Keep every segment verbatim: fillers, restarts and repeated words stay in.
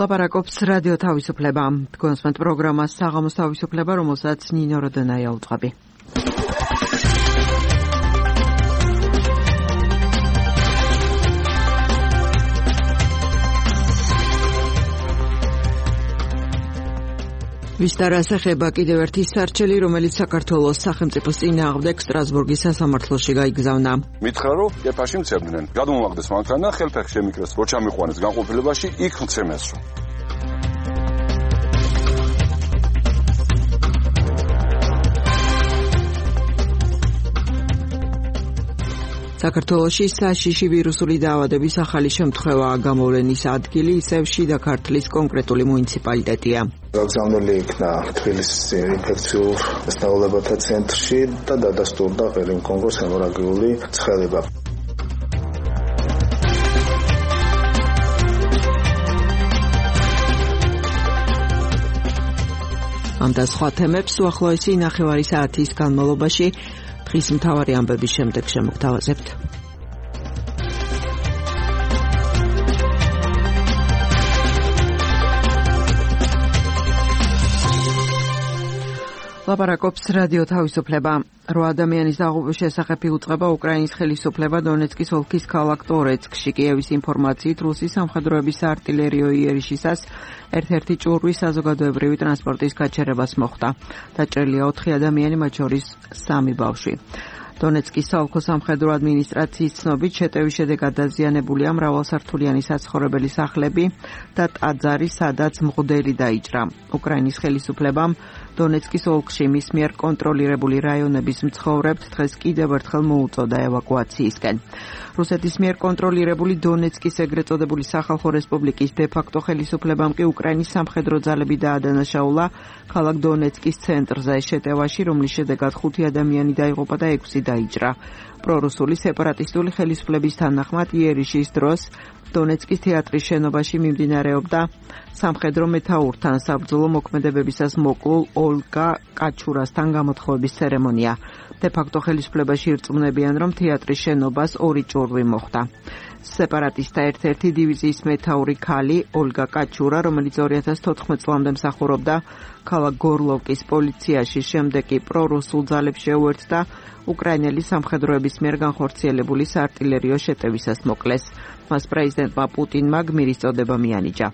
ლაპარაკობს რადიო თავისუფლება. თქვენსმენთ პროგრამას საღამოს თავისუფლება, რომელსაც ნინო როდენაია უწყობი. ვისტარას ეხება კიდევ ერთი სარჩელი, რომელიც საქართველოს სახელმწიფოს წინააღმდეგ სტრასბურგის სასამართლოში გაიგზავნა. მითხრა, რომ ეფაში მცემდნენ. გადმოვაგდეს მანქანა და ხელფეხი შემიკრეს, რო ჩამიყვანეს განყოფილებაში, იქ მცემესო. საქართველოში საშიში ვირუსული დაავადების ახალი შემთხვევაა გამოვლენის ადგილი, ისევ შიდა ქართლის კონკრეტული მუნიციპალიტეტია. გაგზავნილი იქნა თბილისის ინფექციურ დასწავლებათა ცენტრში და დადასტურდა ყირიმ-კონგოს ჰემორაგიული ცხელება. ამ და სხვა თემებს უახლოესი ნახევარი საათის განმავლობაში დღის მთავარი ამბების შემდეგ შემოგთავაზებთ. ლაპარაკობს რადიო თავისუფლება. რო ადამიანის დაღუპვის შესახებ იუწყება უკრაინის ხელისუფლება დონეცკის ოლქის ქალაქ ტორეცკში. კიევის ინფორმაციით, რუსი სამხედროების საარტილერიო იერიშისას ერთ-ერთი ჭურვის საზოგადოებრივი ტრანსპორტის გაჩერებას მოხდა. დაჭრილია ოთხი ადამიანი, მათ შორის სამი ბავშვი. დონეცკის საოლქო სამხედრო ადმინისტრაციის ცნობით, შეტევის შედეგად დაზიანებულია მრავალსართულიანი საცხოვრებელი სახლები და ტაძარი, სადაც მღვდელი დაიჭრა. უკრაინის ხელისუფლებამ დონეცკის ოლქში მის მიერ კონტროლირებული რაიონების მცხოვრებთ დღეს კიდევ ერთხელ მოუწოდა ევაკუაციისკენ. რუსეთის მიერ კონტროლირებული დონეცკის ეგრეთ წოდებული სახალხო რესპუბლიკის დე-ფაქტო ხელისუფლებამ კი უკრაინის სამხედრო ძალები დაადანაშაულა ქალაქ დონეცკის ცენტრზე შეტევაში, რომლის შედეგად ხუთი ადამიანი დაიღუპა და ექვსი დაიჭრა. პრორუსული სეპარატისტული ხელისუფლების თანახმად იერიშის დროს დონეცკის თეატრის შენობაში მიმდინარეობდა სამხედრო მეთაურთან საბრძოლო მოქმედებებისას მოკლულ ოლგა კაჩურასთან გამოთხოვების ცერემონია. დე-ფაქტო ხელისუფლებაში ირწმუნებიან, რომ თეატრის შენობას ორი ჭურვი მოხდა. სეპარატისტთა ერთ-ერთი დივიზიის მეთაური ქალი ოლგა კაჩურა, რომელიც ორი ათას თოთხმეტ წლამდე მსახურობდა ქალაქ გორლოვკის პოლიციაში, შემდეგ კი პრორუსულ ძალებს შეუერთდა უკრაინელი სამხედროების მიერ განხორციელებული საარტილერიო შეტევისას მოკლეს. მას პრეზიდენტმა პუტინმა გმირის წოდება მიანიჭა.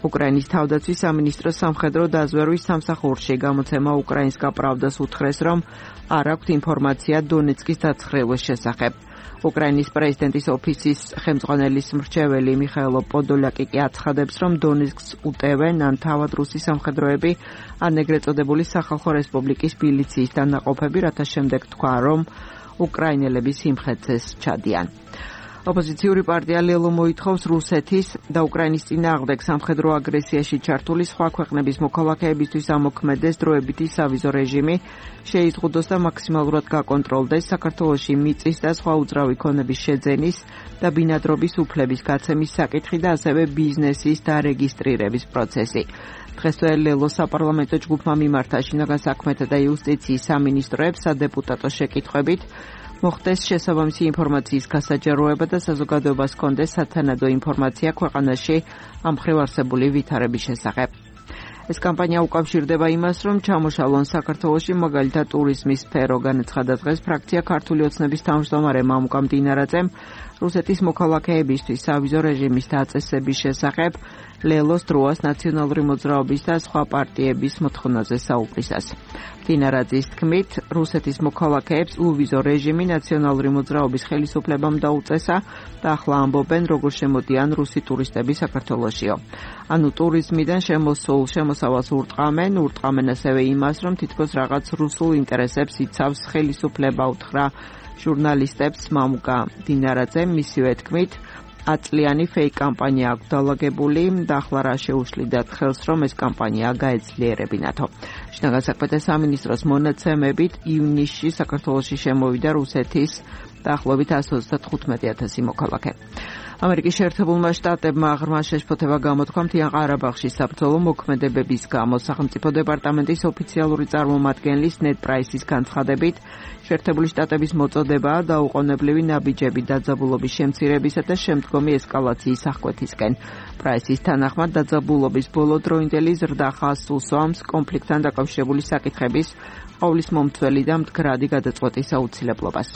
უკრაინის თავდაცვის სამინისტროს სამხედრო დაზვერვის სამსახურში გამოცემა უკრაინსკა პრავდას უთხრეს, რომ არ აქვთ ინფორმაცია დონეცკის დაცხრილვის შესახებ. უკრაინის პრეზიდენტის ოფისის ხელმძღვანელის მრჩეველი მიხაილო პოდოლაკი კი აცხადებს, რომ დონეცკს უტევენ ან თავად რუსი სამხედროები, ან ეგრეთ წოდებული სახალხო რესპუბლიკის მილიციის დანაყოფები, რათა შემდეგ თქვა, რომ უკრაინელები სიმხეცეს ჩადიან. ოპოზიციური პარტია ლელო მოითხოვს რუსეთის და უკრაინის წინააღმდეგ სამხედრო აგრესიაში ჩართული სხვა ქვეყნების მოქალაქეებისთვის ამოქმედეს დროებითი სავიზო რეჟიმი, შეიზღუდოს და მაქსიმალურად გაკონტროლდეს საქართველოში მიწის და სხვა უძრავი ქონების შეძენის და ბინადრობის უფლების გაცემის საკითხი და ასევე ბიზნესის დარეგისტრირების პროცესი. დღესვე ლელო საპარლამენტო ჯგუფმა მიმართა შინაგან საქმეთა და იუსტიციის სამინისტროებს სადეპუტატო შეკითხვებით, მოხდეს შესაბამისი ინფორმაციის გასაჯაროება და საზოგადოებას ჰქონდეს სათანადო ინფორმაცია ქვეყანაში ამ მხრივ არსებული ვითარების შესახებ. ეს კამპანია უკავშირდება იმას, რომ ჩამოშალონ საქართველოში მაგალითად ტურიზმის სფერო, განაცხადა დღეს ფრაქცია ქართული ოცნების თავმჯდომარე მამუკა მდინარაძემ რუსეთის მოქალაქეებისთვის სავიზო რეჟიმის დაწესების შესახებ ლელოს დროას ნაციონალური მოძრაობის და სხვა პარტიების მოთხოვნაზე საუბრისას. მდინარაძის თქმით, რუსეთის მოქალაქეებს ულვიზო რეჟიმი ნაციონალური მოძრაობის ხელისუფლებამ დაუწესა და ახლა ამბობენ, როგორ შემოდიან რუსი ტურისტები საქართველოშიო. ანუ ტურიზმიდან შემოსულ შემოსავალს ურტყამენ, ურტყამენ ასევე იმას, რომ თითქოს რაღაც რუსულ ინტერესებს იცავს ხელისუფლება, უთხრა ჟურნალისტებს მამუკა მდინარაძემ. მისივე თქმით, აწლიანი ფეიქ კამპანია აქვს დალაგებული და ახლა რა შეუშლიდათ ხელს, რომ ეს კამპანია გაეძლიერებინათო. შინაგან საქმეთა სამინისტროს მონაცემებით ივნისში საქართველოში შემოვიდა რუსეთის დაახლოებით εκατს ოცდათხუთმეტი ათასი მოქალაქე. ამერიკის შეერთებულმა შტატებმა ღრმა შეშფოთება გამოთქვა მთიან ყარაბაღში საბრძოლო მოქმედებების გამო. სახელმწიფო დეპარტამენტის ოფიციალური წარმომადგენლის ნედ პრაისის განცხადებით, შეერთებული შტატების მოწოდებაა დაუყოვნებლივი ნაბიჯები დაძაბულობის შემცირებისა და შემდგომი ესკალაციის აღკვეთისკენ. პრაისის თანახმად დაძაბულობის ბოლო დროინდელი ზრდა ხაზს უსვამს კონფლიქტთან დაკავშირებული საკითხების ყოვლის მომცველი და მდგრადი გადაწყვეტის აუცილებლობას.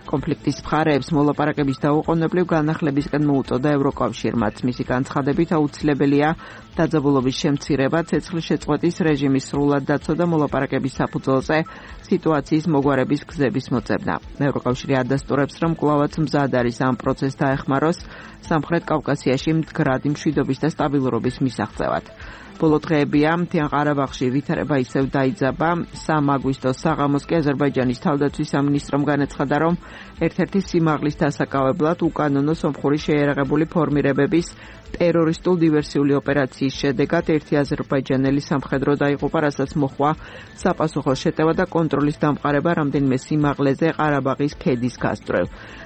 კონფლიქტის მხარეებს მოლაპარაკების დაუყოვნებლივ განახლებისკენ მოუწოდა ევროკავშირმაც. მისი განცხადებით აუცილებელია დაძაბულობის შემცირება, ცეცხლის შეწყვეტის რეჟიმის სრულად დაცვა და მოლაპარაკების საფუძველზე სიტუაციის მოგვარების გზების მოწევნა. ევროკავშირი ადასტურებს, რომ კვლავაც მზად არის ამ პროცესს დაეხმაროს სამხრეთ კავკასიაში მდგრადი მშვიდობის და სტაბილურობის მისაღწევად. ბოლო დღეებია მთიან ყარაბაღში ვითარება ისევ დაიძაბა. სამ აგვისტოს საღამოს კი აზერბაიჯანის თავდაცვის სამინისტრომ განაცხადა, რომ ერთ-ერთი სიმაღლის დასაკავებლად უკანონო სომხური შეიარაღებული ფორმირებების ტერორისტულ დივერსიული ოპერაციის შედეგად ერთი აზერბაიჯანელი სამხედრო დაიღუპა, რასაც მოჰყვა საპასუხო შეტევა და კონტროლის დამყარება რამდენიმე სიმაღლეზე ყარაბაღის ქედის გასწვრივ.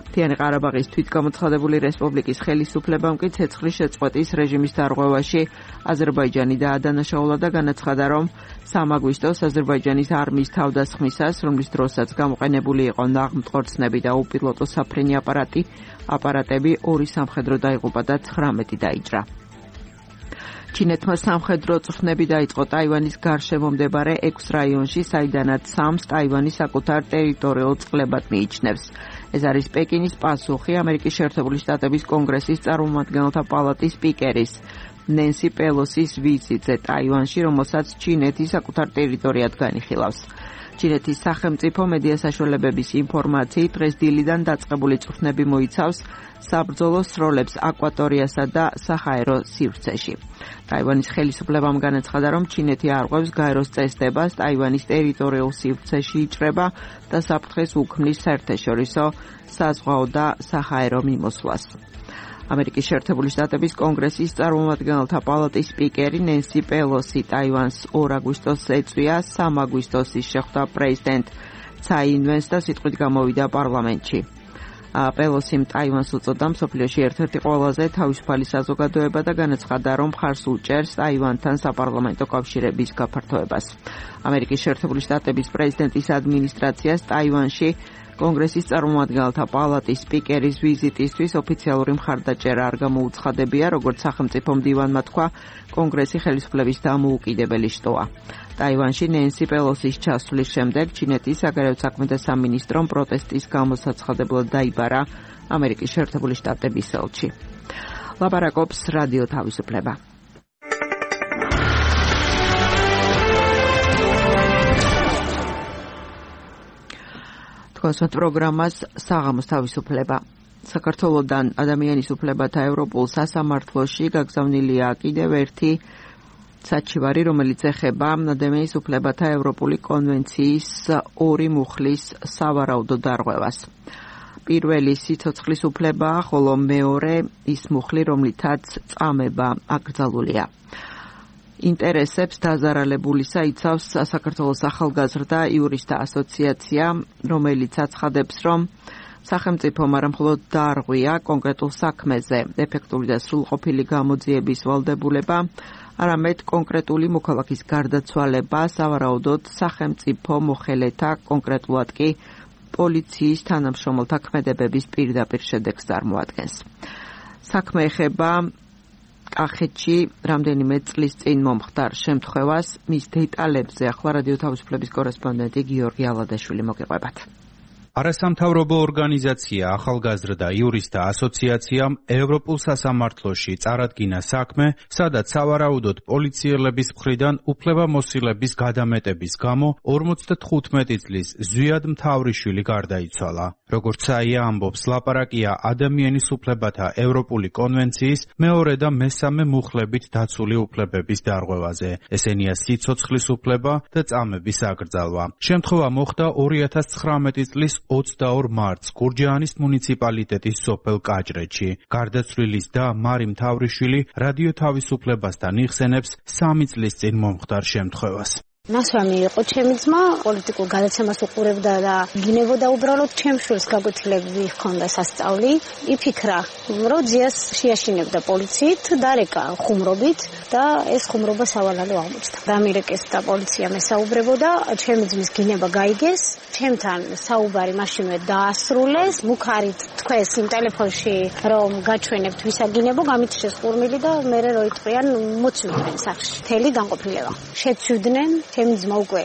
მთიანი ყარაბაღის თვითგამოცხადებული რესპუბლიკის ხელისუფლებამ კი ცეცხლის შეწყვეტის რეჟიმის დარღვევაში აზერბაიჯანი დაადანაშაულა და განაცხადა, რომ სამ აგვისტოს აზერბაიჯანის არმიის თავდასხმისას, რომლის დროსაც გამოყენებული იყო ნაღმწყორცნები და უპილოტო საფრენი აპარატი, აპარატები ორი სამხედრო დაიღუპა და ცხრამეტი დაიჭრა. ჩინეთმა სამხედრო წვრთნები დაიწყო ტაივანის გარშემო მდებარე ექვს რაიონში, საიდანაც სამს ტაივანი საკუთარ ტერიტორიულ წყლებად მიიჩნევს. ეს არის პეკინის პასუხი ამერიკის შეერთებული შტატების კონგრესის წარმომადგენელთა პალატის სპიკერის ნენსი პელოსის ვიზიტზე ტაივანში, რომელსაც ჩინეთი საკუთარ ტერიტორიად განიხილავს. ჩინეთის სახელმწიფო მედია საშუალებების ინფორმაციით დღეს დილიდან დაწყებული წვრთნები მოიცავს საბრძოლო სროლებს აკვატორიასა და საჰაერო სივრცეში. ტაივანის ხელისუფლებამ განაცხადა, რომ ჩინეთი არღვევს გაეროს წესდებას ტაივანის ტერიტორიულ სივრცეში იჭრება და საფრთხეს უქმნის საერთაშორისო საზღვაო და საჰაერო მიმოსვლას. ამერიკის შეერთებული შტატების კონგრესის წარმომადგენელთა პალატის სპიკერი ნენსი პელოსი ტაივანს ორ აგვისტოს ეწვია, სამ აგვისტოს ის შეხვდა პრეზიდენტ ცაი ინვენს და სიტყვით გამოვიდა პარლამენტში. პელოსიმ ტაივანს უწოდა მსოფლიოში ერთ-ერთი ყველაზე თავისუფალი საზოგადოება და განაცხადა, რომ მხარს უჭერს ტაივანთან საპარლამენტო კავშირების გაფართოებას. ამერიკის შეერთებული შტატების პრეზიდენტის ადმინისტრაციას ტაივანში კონგრესის წარმომადგენელთა პალატის სპიკერის ვიზიტისთვის ოფიციალური მხარდაჭერა არ გამოუცხადებია, როგორც სახელმწიფო მდივანმა თქვა, კონგრესი ხელისუფლების დამოუკიდებელი შტოა. ტაივანში ნენსი პელოსის ჩასვლის შემდეგ ჩინეთის საგარეო საქმეთა სამინისტრომ პროტესტის გამოსაცხადებლად დაიბარა ამერიკის შეერთებული შტატების ელჩი. ლაპარაკობს რადიო თავისუფლება. თქვენს პროგრამას საღამოს თავისუფლება. საქართველოსთან ადამიანის უფლებათა ევროპულ სასამართლოში გაგზავნილია კიდევ ერთი საჩივარი, რომელიც ეხება ადამიანის უფლებათა ევროპული კონვენციის ორი მუხლის სავარაუდო დარღვევას. პირველი სიცოცხლის უფლებაა, ხოლო მეორე ის მუხლი, რომლითაც წამება აკრძალულია. ინტერესებს დაზარალებულისა იცავს საქართველოს ახალგაზრდა იურისტთა ასოციაცია, რომელიც აცხადებს, რომ სახელმწიფომ არა მხოლოდ დაარღვია კონკრეტულ საქმეზე ეფექტური და სრულყოფილი გამოძიების ვალდებულება, არამედ კონკრეტული მოქალაქის გარდაცვალება სავარაუდოდ სახელმწიფო მოხელეთა, კონკრეტულად კი პოლიციის თანამშრომელთა ქმედებების პირდაპირ შედეგს წარმოადგენს. საქმე ეხება კახეთში რამდენიმე წლის წინ მომხდარ შემთხვევას, მის დეტალებზე ახლა რადიო თავისუფლების კორესპონდენტი გიორგი ალადაშვილი მოგიყვებათ. არასამთავრობო ორგანიზაცია ახალგაზრდა იურისტთა ასოციაციამ ევროპულ სასამართლოში წარადგინა საქმე, სადაც სავარაუდოდ პოლიციელების მხრიდან უფლებამოსილების გადამეტების გამო ორმოცდათხუთმეტი წლის ზვიად მთავრიშვილი გარდაიცვალა. როგორც საია ამბობს, ლაპარაკია ადამიანის უფლებათა ევროპული კონვენციის მეორე და მესამე მუხლებით დაცული უფლებების დარღვევაზე. ესენია სიცოცხლის უფლება და წამების აკრძალვა. შემთხვევა მოხდა ორი ათას ცხრამეტი წლის ოცდაორ მარტს გურჯაანის მუნიციპალიტეტის სოფელ კაჭრეთში. გარდაცვლილის და მარი მთავრიშვილი რადიო თავისუფლებასთან იხსენებს სამი წლის წინ მომხდარ შემთხვევას. ნასვამი იყო ჩემი ძმა, პოლიტიკურ გადაცემას უყურებდა და გინებოდა უბრალოდ ჩემს შვილს გაგვითილები ჰქონდა სასწავლი. იფიქრა, რომ ძიას შეაშინებდა პოლიციით, დარეკა ხუმრობით და ეს ხუმრობა სავალალო აღმოჩნდა. დამირეკეს და პოლიციამ ესაუბრებოდა, ჩემი ძმის გინება გაიგეს, ჩემთან საუბარი მაშინვე დაასრულეს, მუქარით თქვეს იმ ტელეფონში, რომ გაჩვენებთ ვისაგინებო, გამიჩნდეს ყურმილი და მე რო იტყვიან მოცივდნენ სახში. მთელი განყოფილება. შეცვიდნენ, ჩემი ძმა უკვე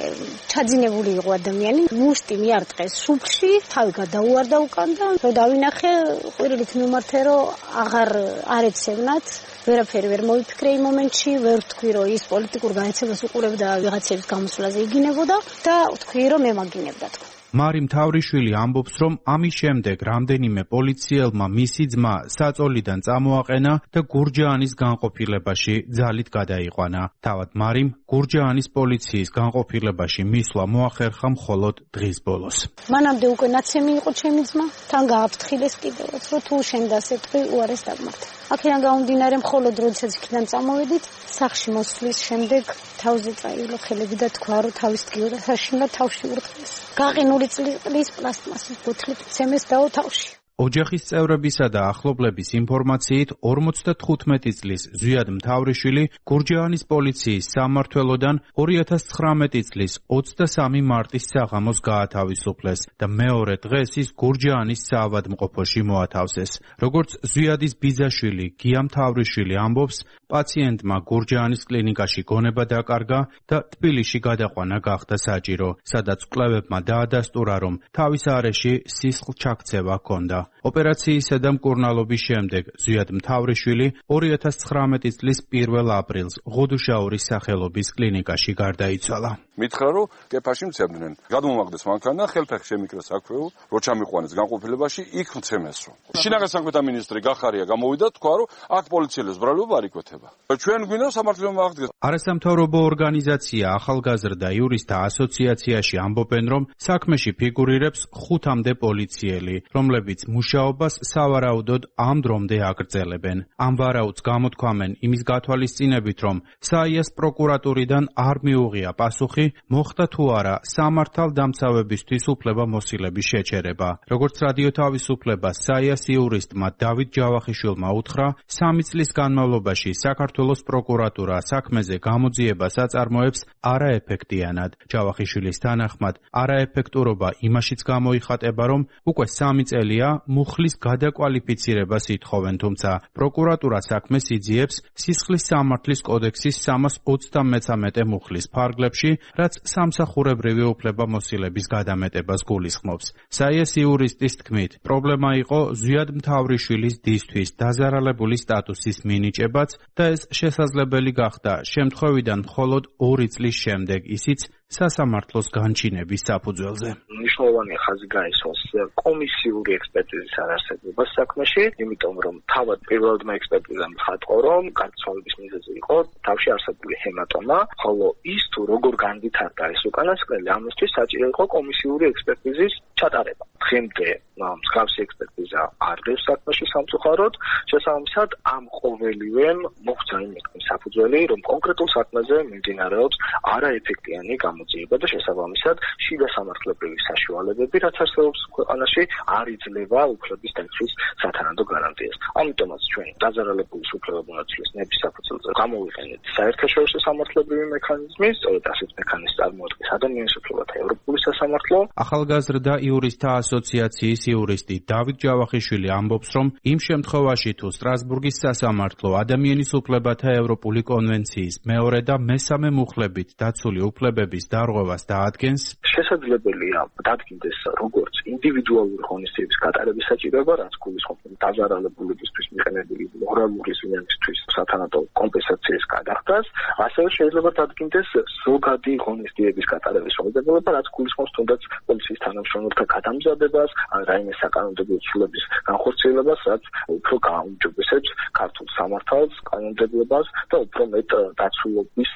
ჩაძინებული იყო ადამიანი, მუშტი მიარტყეს შუბლში, თავი გადაუვარდა უკან და რო დავინახე, ყვირილით მიმართე, რომ აღარ არ ეცევნათ. ვერაფერი ვერ მოიფიქრე იმ მომენტში, ვერ ვთქვი, რომ ის პოლიტიკურ განაცემას უყურებდა ვიღაცების გამოსვლაზე იგინებოდა და ვთქვი, რომ მე მაგინებდა თქო. მარი მთავრიშვილი ამბობს, რომ ამის შემდეგ რამდენიმე პოლიციელმა მისი ძმა საწოლიდან წამოაყენა და გურჯაანის განყოფილებაში ძალით გადაიყვანა. თავად მარიმ გურჯაანის პოლიციის განყოფილებაში მისვლა მოახერხა მხოლოდ დღის ბოლოს. მანამდე უკვე ნაცემი იყო ჩემი ძმა, თან გააფრთხილეს კიდევაც, რომ თუ შენ დასეტყვი, უარეს დაგმართა. აქედან გამომდინარე, მხოლოდ როდესაც იქიდან წამოვედით, სახში მოსვლის შემდეგ თავზე წაივლო ხელები და თქვა, რომ თავის დგიოდა საშინლად თავში ურტყეს. გაყინული წყლის პლასტმასის ბოთლით ცემეს დაო თავში. ოჯახის წევრებისა და ახლობლების ინფორმაციით ორმოცდათხუთმეტი წლის ზვიად მთავრიშვილი გურჯაანის პოლიციის სამმართველოდან ორი ათას ცხრამეტი წლის ოცდასამი მარტის საღამოს გაათავისუფლეს და მეორე დღეს ის გურჯაანის საავადმყოფოში მოათავსეს. როგორც ზვიადის ბიძაშვილი გია მთავრიშვილი ამბობს, პაციენტმა გურჯაანის კლინიკაში გონება დაკარგა და თბილისში გადაყვანა გახდა საჭირო, სადაც კვლევებმა დაადასტურა, რომ თავის არეში სისხლჩაქცევა ჰქონდა. ოპერაციისა და მკურნალობის შემდეგ ზვიად მთავრიშვილი ორი ათას ცხრამეტი წლის პირველ აპრილს ღუდუშაურის სახელობის კლინიკაში გარდაიცვალა. მითხრა, რომ კეფაში მცემდნენ. გადმომაგდეს მანქანა, ხელფეხი შემიკრეს აქვეულ, რო ჩამიყვანეს განყოფილებაში, იქ მცემესო. შინაგან საქმეთა მინისტრი გახარია გამოვიდა, თქვა, რომ აქ პოლიციელებს ბრალობა არ იკვეთება. ჩვენ გვინდა სამართლებრივ აღდგეს. არასამთავრობო ორგანიზაცია ახალგაზრდა იურისტთა ასოციაციაში ამბობენ, რომ საქმეში ფიგურირებს ხუთამდე პოლიციელი, რომლებიც მუშაობას სავარაუდოდ ამ დრომდე აგრძელებენ. ამ ვარაუდს გამოთქვამენ იმის გათვალისწინებით, რომ საიას პროკურატურიდან არ მიუღია პასუხი, მოხდა თუ არა სამართალდამცავებისთვის უფლებამოსილების შეჩერება. როგორც რადიო თავისუფლებას საიას იურისტმა დავით ჯავახიშვილმა უთხრა, სამი წლის განმავლობაში საქართველოს პროკურატურა საქმეზე გამოძიებას აწარმოებს არაეფექტიანად. ჯავახიშვილის თანახმად, არაეფექტურობა იმაშიც გამოიხატება, რომ უკვე სამი წელია მუხლის გადაკვალიფიცირებას ითხოვენ, თუმცა პროკურატურა საქმეს იძიებს სისხლის სამართლის კოდექსის სამას ოცდამეცამეტე მუხლის ფარგლებში, რაც სამსახურებრივი უფლებამოსილების გადამეტებას გულისხმობს. საიას იურისტის თქმით, პრობლემა იყო ზვიად მთავრიშვილის დისთვის დაზარალებული სტატუსის მინიჭებაც და ეს შესაძლებელი გახდა შემთხვევიდან მხოლოდ ორი წლის შემდეგ, ისიც სასამართლოს განჩინების საფუძველზე. მნიშვნელოვანი ხაზი გაისვას კომისიური ექსპერტიზის არარსებობას საქმეში, იმიტომ რომ თავად პირველადმა ექსპერტიზამ ხატყო, რომ გარდაცვალების მიზეზი იყო თავში არსებული ჰემატომა, ხოლო ის თუ როგორ განვითარდა ეს უკანასკნელი, ამისთვის საჭირო იყო კომისიური ექსპერტიზის ჩატარება. დღემდე მსგავსი ექსპერტიზა არ დევს საქმეში სამწუხაროდ, შესაბამისად ამ ყოველივემ მოხდა იმის საფუძველი, რომ კონკრეტულ საქმეზე მიმდინარეობს არაეფექტიანი გამოძიება და შესაბამისად შიდა სამართლებრივი საშუალებები, რაც არსებობს ქვეყანაში, არ იძლევა უფლების დაცვის სათანადო გარანტიას. ამიტომაც ჩვენ დაზარალებულის უფლებამონაცვლის ნების საფუძველზე გამოვიყენეთ საერთაშორისო სამართლებრივი მექანიზმი, სწორედ ასეთ მექანიზმს წარმოადგენს ადამიანის უფლებათა ევროპული სასამართლო. ახალგაზრდა იურისტთა ასოციაციის იურისტი დავით ჯავახიშვილი ამბობს, რომ იმ შემთხვევაში თუ სტრასბურგის სასამართლო ადამიანის უფლებათა ევროპული კონვენციის მეორე და მესამე მუხლებით დაცული უფლებების დარღვევას დაადგენს, შესაძლებელია დადგინდეს როგორც ინდივიდუალური ღონისძიების გატარების საჭიროება, რაც გულისხმობს დაზარალებულებისთვის მიყენებული მორალური ზიანისთვის სათანადო კომპენსაციის გადახდას, ასევე შეიძლება დადგინდეს ზოგადი ღონისძიების გატარების შეუძლებლობა, რაც გულისხმობს თუნდაც პოლიციის თანამშრომელთა გადამზადებას, ან რაიმე საკანონმდებლო ცვლილების სისტემების განხორციელებას, რაც უფრო გააუმჯობესებს ქართულ სამართალს, კანონმდებლობას და უფრო მეტ დაცულობის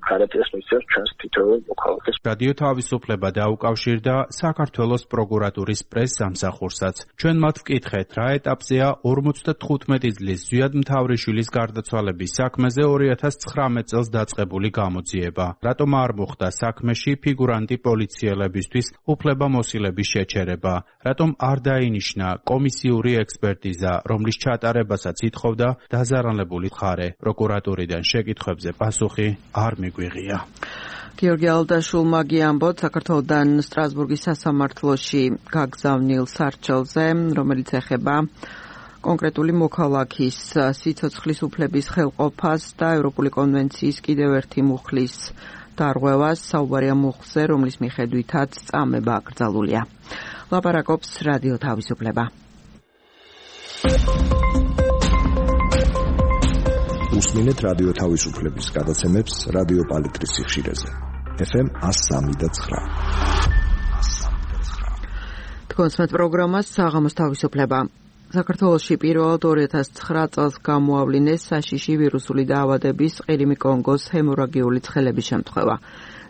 გარანტიას მისცემს ჩვენს თითოეულ მოქალაქეს. რადიო თავისუფლება დაუკავშირდა საქართველოს პროკურატურის პრეს-სამსახურსაც. ჩვენ მათ ვკითხეთ, რა ეტაპზეა ორმოცდათხუთმეტი წლის ზვიად მთავრიშვილის გარდაცვალების საქმეზე ორი ათას ცხრამეტ წელს დაწყებული გამოძიება. რატომ არ მოხდა საქმეში ფიგურანტი პოლიციელებისთვის უფლებამოსილების შეჩერება? რატომ არ დაინიშნა კომისიური ექსპერტიზა, რომლის ჩატარებასაც ითხოვდა დაზარალებული მხარე? პროკურატურიდან შეკითხვებზე პასუხი არ მიგვიღია. გიორგი ალდაშულმა გიამბოთ საქართველოდან სტრასბურგის სასამართლოში გაგზავნილ სარჩელზე, რომელიც ეხება კონკრეტული მოქალაქის სიცოცხლის უფლების ხელყოფას და ევროპული კონვენციის კიდევ ერთი მუხლის დარღვევას, საუბარია მუხლზე, რომლის მიხედვითაც წამება აკრძალულია. ლაპარაკობს რადიო თავისუფლება. უსმინეთ რადიო თავისუფლების გადაცემებს რადიო პალიტრის სიხშირეზე. ეფ ემ one oh three point nine. თქვენს პროგრამას საღამოს თავისუფლება. საქართველოში პირველად ორი ათას ცხრა წელს გამოავლინეს საშიში ვირუსული დაავადების ყირიმი კონგოს ჰემორაგიული ცხელების შემთხვევა.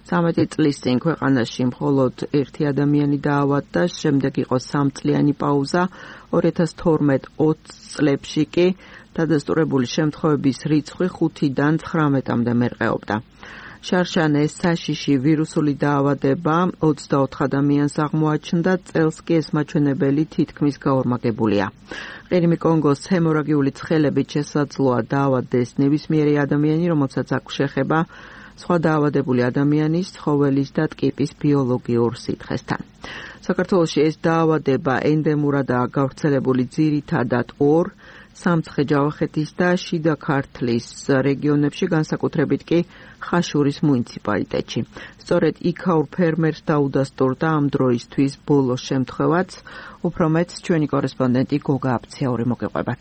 ცამეტი წლის წინ ქვეყანაში მხოლოდ ერთი ადამიანი დაავადდა, შემდეგ იყო სამწლიანი პაუზა, ორი ათას თორმეტ ოცი წლებში კი დადასტურებული შემთხვევების რიცხვი ხუთიდან ცხრამეტამდე მერყეობდა. შარშან ეს საშიში ვირუსული დაავადება ოცდაოთხ ადამიანს აღმოაჩნდა, წელს კი ეს მაჩვენებელი თითქმის გაორმაგებულია. ყირიმი კონგოს ჰემორაგიული ცხელებით შესაძლოა დაავადდეს ნებისმიერი ადამიანი, რომელსაც აქვს შეხება სხვა დაავადებული ადამიანის, ცხოველის და ტკიპის ბიოლოგიურ სითხესთან. საქართველოში ეს დაავადება ენდემურადაა გავრცელებული ძირითადად ორ სამცხე-ჯავახეთის და შიდა ქართლის რეგიონებში, განსაკუთრებით კი ხაშურის მუნიციპალიტეტში. სწორედ იქაურ ფერმერს დაუდასტურდა ამ დროისთვის ბოლო შემთხვევაც, უფრო მეც ჩვენი კორესპონდენტი გოგა აფციური მოგეყვებათ.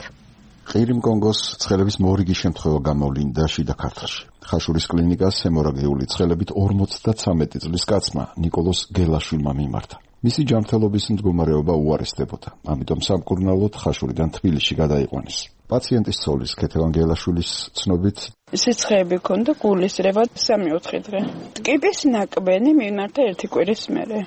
ყირიმ კონგოს ცხელების მორიგი შემთხვევა გამოვლინდა შიდა ქართლში. ხაშურის კლინიკას ჰემორაგიული ცხელებით ორმოცდაცამეტი წლის კაცმა ნიკოლოზ გელაშვილმა მიმართა. მისი ჯანმრთელობის მდგომარეობა უარესდებოდა, ამიტომ სამკურნალოდ ხაშურიდან თბილისში გადაიყვანეს. პაციენტის ცოლის ქეთევან გელაშვილის ცნობით სიცხეები ჰქონდა გულისრევა სამი-ოთხი დღე. ტკიპის ნაკბენი მიმართა ერთი კვირის მერე.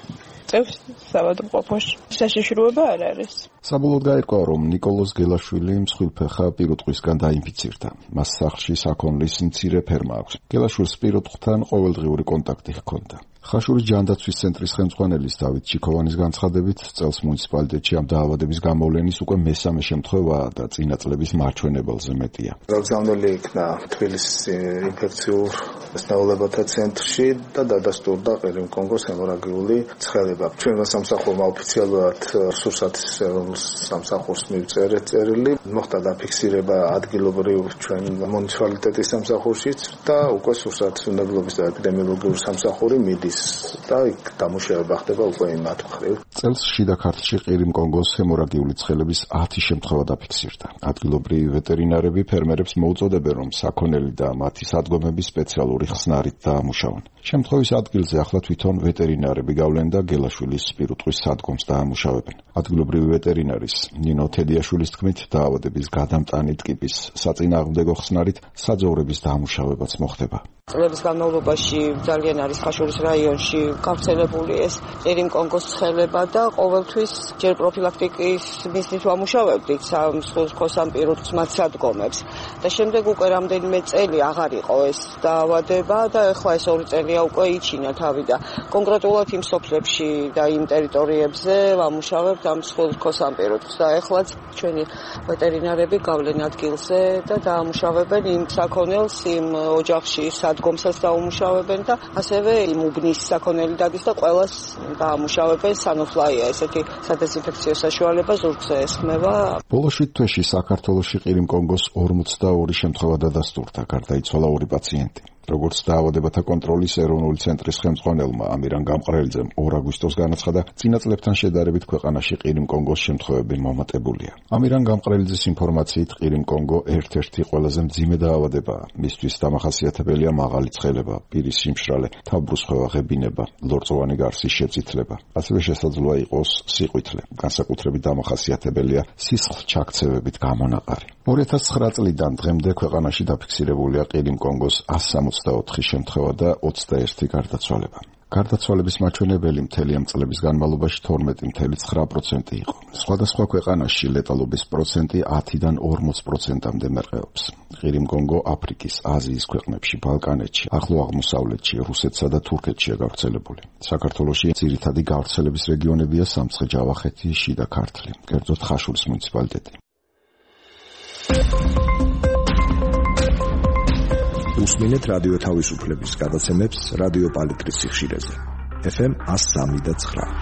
წევს საბადოყოფოში. საშიშროება არ არის. საბოლოოდ გაირკვა, რომ ნიკოლოზ გელაშვილი მსხვილფეხა პირუტყვისგან დაინფიცირდა. მას სახლში საქონლის მცირე ფერმა აქვს. გელაშვილს პირუტყვთან ყოველდღიური კონტაქტი ჰქონდა. ხაშურის ჯანდაცვის ცენტრის ხელმძღვანელის დავით ჩიქოვანის განცხადებით, წელს მუნიციპალიტეტში ამ დაავადების გამოვლენის უკვე მესამე შემთხვევაა და წინა წლების მარჩვენებელზე მეტია. გაგზავნილი იქნა თბილისის ინფექციურ სნეულებათა ცენტრში და დადასტურდა ყირიმ კონგოს ჰემორაგიული ცხელება. ჩვენმა სამსახურმა ოფიციალურად სურსათის სამსახურს მივწერეთ წერილი. მოხდა დაფიქსირება ადგილობრივ ჩვენ მუნიციპალიტეტის სამსახურშიც და უკვე სურსათის უნდობლობის და ეპიდემიოლოგიური სამსახური მიდის და იქ დამუშავება ხდება უკვე იმათ მხრივ. წელს შიდა ქართლში ყირიმ კონგოს ჰემორაგიული ცხელების ათი შემთხვევა დაფიქსირდა. ადგილობრივი ვეტერინარები ფერმერებს მოუწოდებენ, რომ საქონელი და მათი სადგომები სპეციალური ხსნარით დაამუშავონ. შემთხვევის ადგილზე ახლა თვითონ ვეტერინარები გავლენ და გელაშვილის პირუტყვის სადგომს დაამუშავებენ. ადგილობრივი ვეტერინარის ნინო თედიაშვილის თქმით, დაავადების გადამტანი ტკიპის საწინააღმდეგო ხსნარით საძოვრების დაამუშავებაც მოხდება. წლების განმავლობაში ძალიან არის ხაშურის რაიონში გავრცელებული ეს ყირიმ კონგოს ცხელება და ყოველთვის ჯერ პროფილაქტიკის მიზნით ვამუშავებდით მსხვილ ამ პირუტყვის მათ სადგომებს და შემდეგ უკვე რამდენიმე წელი აღარ იყო ეს დაავადება და ეხლა ეს ორი წელია უკვე იჩინა თავი და კონკრეტულად იმ სოფლებში და იმ ტერიტორიებზე ვამუშავებთ ამ მსხვილ ამ პირუტყვის და ეხლაც ჩვენი ვეტერინარები გავლენ ადგილზე და დაამუშავებენ იმ საქონელს იმ ოჯახში სადგომსაც დაუმუშავებენ და ასევე იმ უბნის საქონელი დადის და ყველას დაამუშავებენ სანოფლაია ესეთი სადეზინფექციო საშუალება ზურგზე ესხმება. ბოლო შვიდ თვეში საქართველოში ყირიმ კონგოს ორმოცდაორი შემთხვევა დადასტურდა, გარდაიცვალა ორი პაციენტი. როგორც დაავადებათა კონტროლის ეროვნული ცენტრის ხელმძღვანელმა ამირან გამყრელიძემ ორ აგვისტოს განაცხადა, წინა წლებთან შედარებით ქვეყანაში ყირიმ-კონგოს შემთხვევები მომატებულია. ამირან გამყრელიძის ინფორმაციით, ყირიმ-კონგო ერთ-ერთი ყველაზე მძიმე დაავადებაა. მისთვის დამახასიათებელია მაღალი ცხელება, პირის სიმშრალე, თავბრუსხვევა, ღებინება, ლორწოვანი გარსის შეწითლება. ასევე შესაძლოა იყოს სიყვითლე. განსაკუთრებით დამახასიათებელია სისხლჩაქცევებით გამონაყარი. ორი ათას ცხრა წლიდან დღემდე ქვეყანაში დაფიქსირებულია ყირიმ-კონგოს ასი ოცდაოთხი შემთხვევა და ოცდაერთი გარდაცვალება. გარდაცვალების მაჩვენებელი მთელი ამ წლების განმავლობაში თორმეტი ფاصლე ცხრა პროცენტი იყო. სხვადასხვა ქვეყანაში ლეტალობის პროცენტი ათიდან ორმოც პროცენტამდე მერყეობს. ყირიმ-კონგო აფრიკის, აზიის ქვეყნებში, ბალკანეთში, ახლო აღმოსავლეთში, რუსეთსა და თურქეთშია გავრცელებული. საქართველოში ძირითადი გავრცელების რეგიონებია სამცხე-ჯავახეთი, შიდა ქართლი, კერძოდ ხაშურის მუნიციპალიტეტი. უსმინეთ რადიო თავისუფლების გადაცემებს რადიო პალიტრის სიხშირეზე. ეფ ემ one oh three point nine.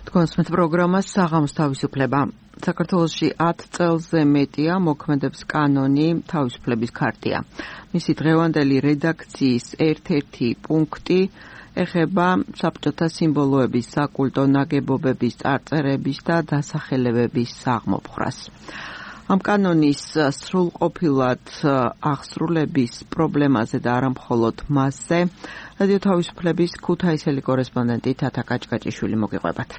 თქვენს პროგრამას საღამოს თავისუფლება. საქართველოში ათ წელზე მეტია მოქმედებს კანონი თავისუფლების ქარტია. მისი დღევანდელი რედაქციის ერთ-ერთი პუნქტი ეხება საბჭოთა სიმბოლოების, საკულტო ნაგებობების, წარწერების და დასახელებების საღმოფხვრას. ამ კანონის სრულყოფილად აღსრულების პრობლემაზე და არა მხოლოდ მასზე რადიო თავისუფლების ქუთაისელი კორესპონდენტი თათა კაჭკაჭიშვილი მოგიყვებათ.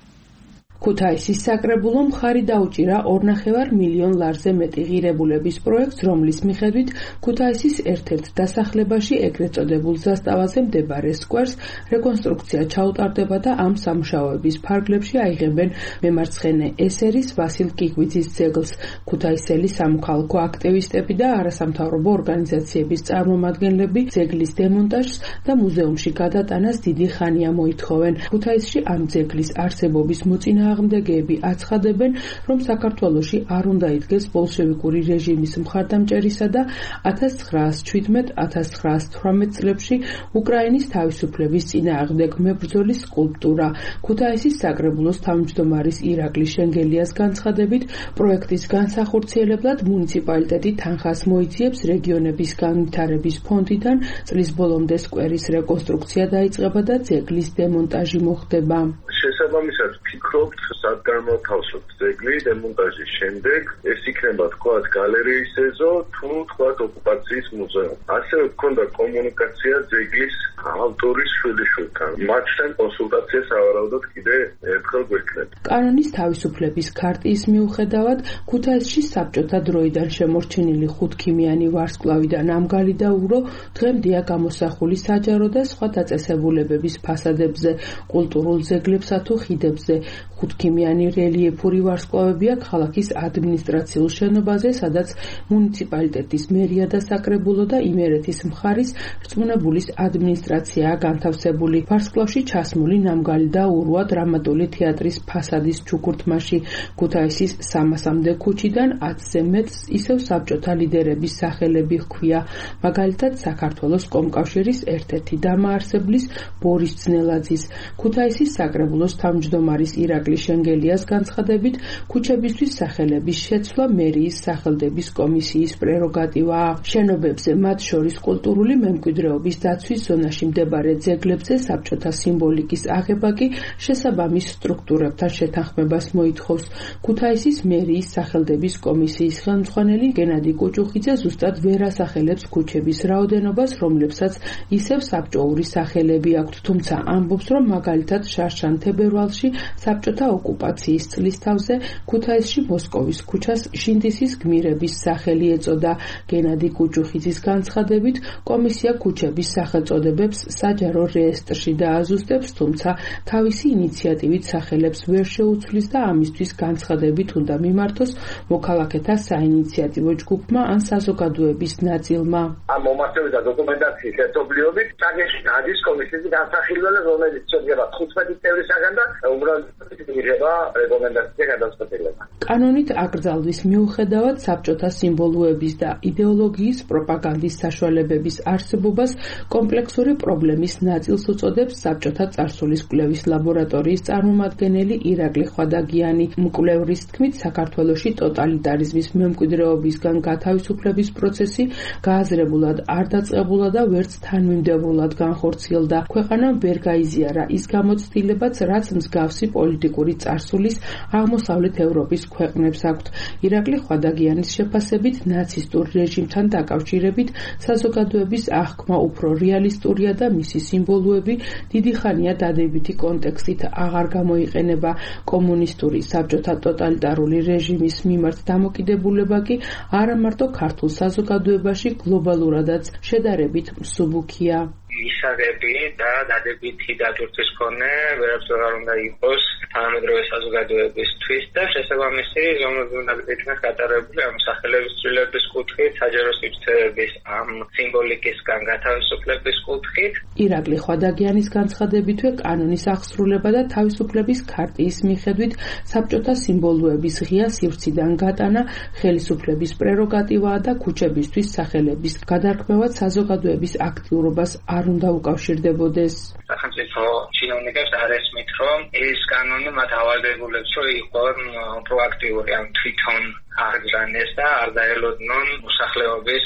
ქუთაისის საკრებულო მხარი დაუჭირა ორნახევარ მილიონ ლარზე მეტი ღირებულების პროექტს, რომლის მიხედვით ქუთაისის ერთ-ერთ დასახლებაში, ეგრეთ წოდებულ ზასტავაზე მდებარე სკვერს რეკონსტრუქცია ჩაუტარდება და ამ სამუშაოების ფარგლებში აიღებენ მემარცხენე ესერის ვასილ კიგვიძის ძეგლს. ქუთაისელი სამოქალაქო აქტივისტები და არასამთავრობო ორგანიზაციების წარმომადგენლები ძეგლის დემონტაჟს და მუზეუმში გადატანას დიდი ხანია მოითხოვენ. ქუთაისში ამ ძეგლის არსებობის მოწინააღმდეგეები აღმდეგეები აცხადებენ, რომ საქართველოში არ უნდა იდგეს ბოლშევიკური რეჟიმის მხარდამჭერისა და ათას ცხრაას შვიდმეტ ათას ცხრაას თვრამეტ წლებში უკრაინის თავისუფლების წინააღმდეგ მებრძოლის სკულპტურა. ქუთაისის საკრებულოს თავმჯდომარის ირაკლი შენგელიას განცხადებით, პროექტის განსახორციელებლად მუნიციპალიტეტი თანხას მოიძიებს რეგიონების განვითარების ფონდიდან, წლის ბოლომდე სკვერის რეკონსტრუქცია დაიწყება და ძეგლის დემონტაჟი მოხდება. შესაბამისად ვფიქრობთ, სად განმოთავსოთ ძეგლი დემონტაჟის შემდეგ, ეს იქნება თქვათ გალერეის ეზო თუ თქვათ ოკუპაციის მუზეუმი. ასევე გქონდა კომუნიკაცია ძეგლის ავტორის შვილიშვილთან. მათთან კონსულტაცია სავარაუდოდ კიდე ერთხელ გვექნება. კანონის თავისუფლების ქარტიის მიუხედავად, ქუთაისში საბჭოთა დროიდან შემორჩენილი ხუთქიმიანი ვარსკვლავი და ნამგალი და ურო დღემდეა გამოსახული საჯარო და სხვა დაწესებულებების ფასადებზე, კულტურულ ძეგლებსა თუ ხიდებზე. ხუთქიმიანი რელიეფური ვარსკვლავებია ქალაქის ადმინისტრაციულ შენობაზე, სადაც მუნიციპალიტეტის მერია და საკრებულო და იმერეთის მხარის რწმუნებულის ადმინისტრაციაა განთავსებული. ვარსკვლავში ჩასმული ნამგალი და ურვა დრამატული თეატრის ფასადის ჩუქურთმაში. ქუთაისის სამასამდე ქუჩიდან ათზე მეტს ისევ საბჭოთა ლიდერების სახელები ჰქვია, მაგალითად საქართველოს კომკავშირის ერთ-ერთი დამაარსებლის ბორის ძნელაძის. ქუთაისის საკრებულოს თავმჯდომარის ირაკლი შენგელიას განცხადებით, ქუჩებისთვის სახელების შეცვლა მერიის სახელდების კომისიის პრეროგატივაა. შენობებზე, მათ შორის კულტურული მემკვიდრეობის დაცვის ზონაში მდებარე ძეგლებზე საბჭოთა სიმბოლიკის აღება კი შესაბამის სტრუქტურებთან შეთანხმებას მოითხოვს. ქუთაისის მერიის სახელდების კომისიის ხელმძღვანელი გენადი კუჭუხიძე ზუსტად ვერ ასახელებს ქუჩების რაოდენობას, რომლებსაც ისევ საბჭოური სახელები აქვთ, თუმცა ამბობს, რომ მაგალითად შარშან თებერვალში საბჭოთა ოკუპაციის წლის თავზე ქუთაისში მოსკოვის ქუჩას შინდისის გმირების სახელი ეწოდა. გენადი კუჭუხიძის განცხადებით, კომისია ქუჩების სახელწოდებებს საჯარო რეესტრში დააზუსტებს, თუმცა თავისი ინიციატივით სახელებს ვერ შეუცვლის და ამისთვის განცხადებით უნდა მიმართოს მოქალაქეთა საინიციატივო ჯგუფმა ან საზოგადოების ნაწილმა. ამ მომართვების და დოკუმენტაციის ერთობლიობით წაგეში დადის კომისიის განსახილველი, რომელიც შედგება თხუთმეტი წევრისაგან და უმრავლესობა იგრძნობა რეკომენდაცია გადაწყვეტილება. კანონით აკრძალვის მიუხედავად საბჭოთა სიმბოლოების და იდეოლოგიის პროპაგანდის საშუალებების არსებობას კომპლექსური პრობლემის ნაწილს უწოდებს საბჭოთა წარსულის კვლევის ლაბორატორიის წარმომადგენელი ირაკლი ხვადაგიანი. მკვლევრის თქმით, საქართველოში ტოტალიტარიზმის მემკვიდრეობისგან გათავისუფლების პროცესი გააზრებულად არ დაწყებულა და ვერც თანმიმდევრულად განხორციელდა. ქვეყანამ ვერ გაიზიარა ის გამოცდილებაც, რაც მსგავსი პოლიტიკური წარსულის აღმოსავლეთ ევროპის ქვეყნებს აქვთ. ირაკლი ხვადაგიანის შეფასებით, ნაცისტურ რეჟიმთან დაკავშირებით საზოგადოების აღქმა უფრო რეალისტურია და მისი სიმბოლოები დიდი ხანია დადებითი კონტექსტით აღარ გამოიყენება. კომუნისტური საბჭოთა ტოტალიტარული რეჟიმის მიმართ დამოკიდებულება კი არა მარტო ქართულ საზოგადოებაში, გლობალურადაც შედარებით მსუბუქია. ისარები და დადებითი დატვირთვის მქონე ვერაფერს არ უნდა იყოს თანამედროვე საზოგადოებისთვის და შესაბამისი ზომები უნდა იქნას გატარებული ამ სახელების ცვლილების კუთხით, საჯარო სივრცეების ამ სიმბოლიკისგან გათავისუფლების კუთხით. ირაკლი ხვადაგიანის განცხადებითვე კანონის აღსრულება და თავისუფლების ქარტიის მიხედვით საბჭოთა სიმბოლოების ღია სივრციდან გატანა ხელისუფლების პრეროგატივაა და ქუჩებისთვის სახელების გადარქმევა საზოგადოების აქტიურობას არ უნდა უკავშირდებოდეს. სახელმწიფო чиновникებს არ ესმით, რომ ეს კანონი მათ ავალდებულებს, რომ იყვნენ პროაქტიული, ან თვითონ აღგზავნეს და არ დაელოდნონ მოსახლეობის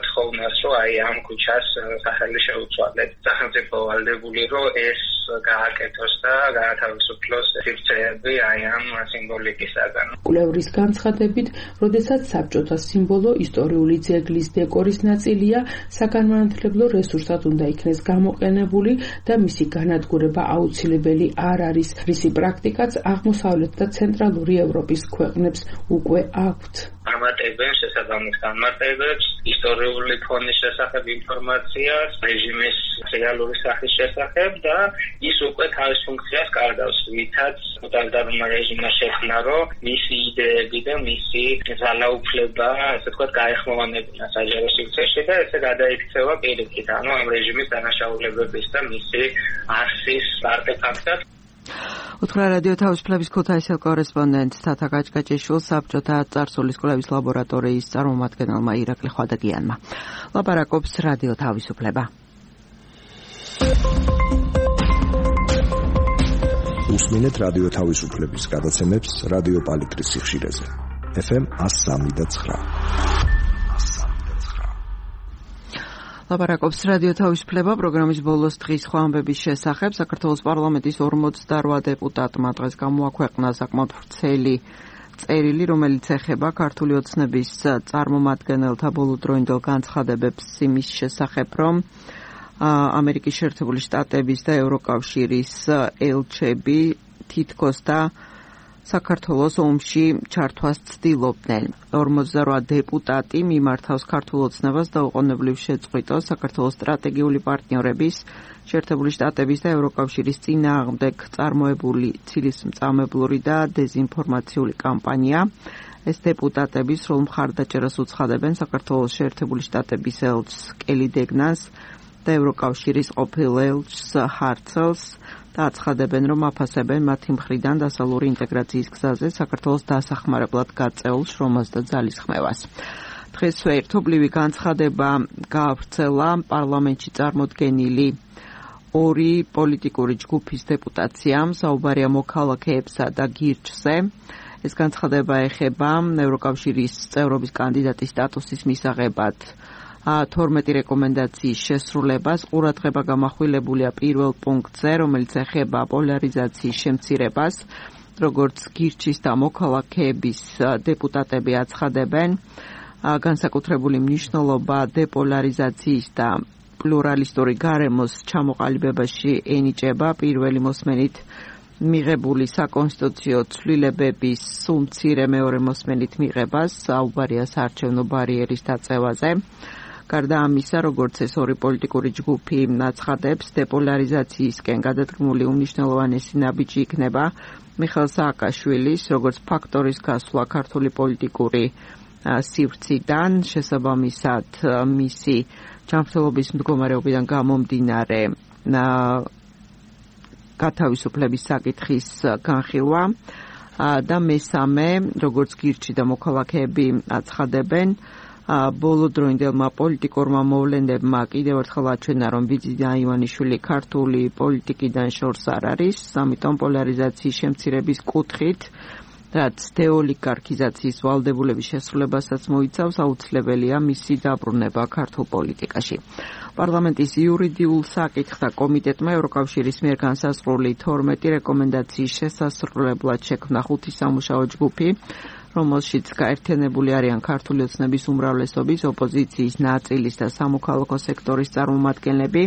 თხოვნას, რომ აი ამ ქუჩას სახელი შეუცვალეთ. სახელმწიფო ვალდებული, რომ ეს გააკეთოს და გაათავისუფლოს სივრცეები აი ამ სიმბოლიკისაგან. კვლევრის განცხადებით, როდესაც საბჭოთა სიმბოლო ისტორიული ძეგლის დეკორის ნაწილია, საგანმანათლებლო რესურსად უნდა იქნეს გამოყენებული და მისი განადგურება აუცილებელი არ არის, რისი პრაქტიკაც აღმოსავლეთ და ცენტრალური ევროპის ქვეყნებს უკვე აქვთ. ამატებენ შესაბამის განმარტებებს, ისტორიული ფონის შესახებ ინფორმაციას, რეჟიმის რეალური სახის შესახებ და ის უკვე თავის ფუნქციას კარგავს, ვითაც ტოტალიტარულმა რეჟიმმა შექმნა, რომ მისი იდეები და მისი ძალაუფლება, ასე ვთქვათ, გაეხმოვანებინა საჯარო სივრცეში და ესე გადაიქცევა პირიქით, ანუ ამ რეჟიმის დანაშაულებების და მისი არსის არტეფაქტად. უთხრა რადიო თავისუფლების ქუთაისელ კორესპონდენტ თათა გაჭგაჭიშვილს საბჭოთა წარსულის კვლევის ლაბორატორიის წარმომადგენელმა ირაკლი ხვადაგიანმა. ლაპარაკობს რადიო თავისუფლება. უსმინეთ რადიო თავისუფლების გადაცემებს რადიო პალიტრის სიხშირეზე. ეფ ემ one oh three და nine. ლაპარაკობს რადიო თავისუფლება პროგრამის ბოლოს დღის სხვა ამბების შესახებ. საქართველოს პარლამენტის ორმოცდარვა დეპუტატმა დღეს გამოაქვეყნა საკმაოდ ვრცელი წერილი, რომელიც ეხება ქართული ოცნების წარმომადგენელთა ბოლოდროინდელ განცხადებებს იმის შესახებ, რომ ამერიკის შეერთებული შტატების და ევროკავშირის ელჩები თითქოს და საქართველოს ომში ჩართვას ცდილობდნენ. ორმოცდარვა დეპუტატი მიმართავს ქართულ ოცნებას და უყოვნებლივ შეწყვიტოს საქართველოს სტრატეგიული პარტნიორების, შეერთებული შტატების და ევროკავშირის წინააღმდეგ წარმოებული ცილისმწამებლური და დეზინფორმაციული კამპანია. ეს დეპუტატები სრულ მხარდაჭერას უცხადებენ საქართველოს შეერთებული შტატების ელჩს კელი დეგნას და ევროკავშირის ყოფილ ელჩს ჰარცელს და აცხადებენ, რომ აფასებენ მათი მხრიდან დასავლური ინტეგრაციის გზაზე საქართველოს დასახმარებლად გაწეულ შრომას და ძალისხმევას. დღესვე ერთობლივი განცხადება გაავრცელა პარლამენტში წარმოდგენილი ორი პოლიტიკური ჯგუფის დეპუტაციამ, საუბარია მოქალაქეებსა და გირჩზე. ეს განცხადება ეხება ევროკავშირის წევრობის კანდიდატის სტატუსის მისაღებად თორმეტი რეკომენდაციის შესრულებას. ყურადღება გამახვილებულია პირველ პუნქტზე, რომელიც ეხება პოლარიზაციის შემცირებას, როგორც გირჩის და მოქალაქეების დეპუტატები აცხადებენ. განსაკუთრებული მნიშვნელობა დეპოლარიზაციის და პლურალისტური გარემოს ჩამოყალიბებაში ენიჭება პირველი მოსმენით მიღებული საკონსტიტუციო ცვლილებების სულ მცირე მეორე მოსმენით მიღებას, საუბარია საარჩევნო ბარიერის დაწევაზე. გარდა ამისა, როგორც ეს ორი პოლიტიკური ჯგუფი აცხადებს, დეპოლარიზაციისკენ გადადგმული უმნიშვნელოვანესი ნაბიჯი იქნება მიხეილ სააკაშვილის, როგორც ფაქტორის გასვლა ქართული პოლიტიკური სივრციდან, შესაბამისად მისი ჯანმრთელობის მდგომარეობიდან გამომდინარე გათავისუფლების საკითხის განხილვა და მესამე, როგორც გირჩი და მოქალაქეები აცხადებენ, ბოლოდროინდელმა პოლიტიკურმა მოვლენებმა კიდევ ერთხელ აჩვენა, რომ ბიძინა ივანიშვილი ქართული პოლიტიკიდან შორს არ არის, ამიტომ პოლარიზაციის შემცირების კუთხით, რაც დეოლიგარქიზაციის ვალდებულების შესრულებასაც მოიცავს, აუცილებელია მისი დაბრუნება ქართულ პოლიტიკაში. პარლამენტის იურიდიულ საკითხთა კომიტეტმა ევროკავშირის მიერ განსაზღვრული თორმეტი რეკომენდაციის შესასრულებლად შექმნა ხუთი სამუშაო ჯგუფი, რომელშიც გაერთიანებული არიან ქართული ოცნების უმრავლესობის, ოპოზიციის ნაწილის და სამოქალაქო სექტორის წარმომადგენლები.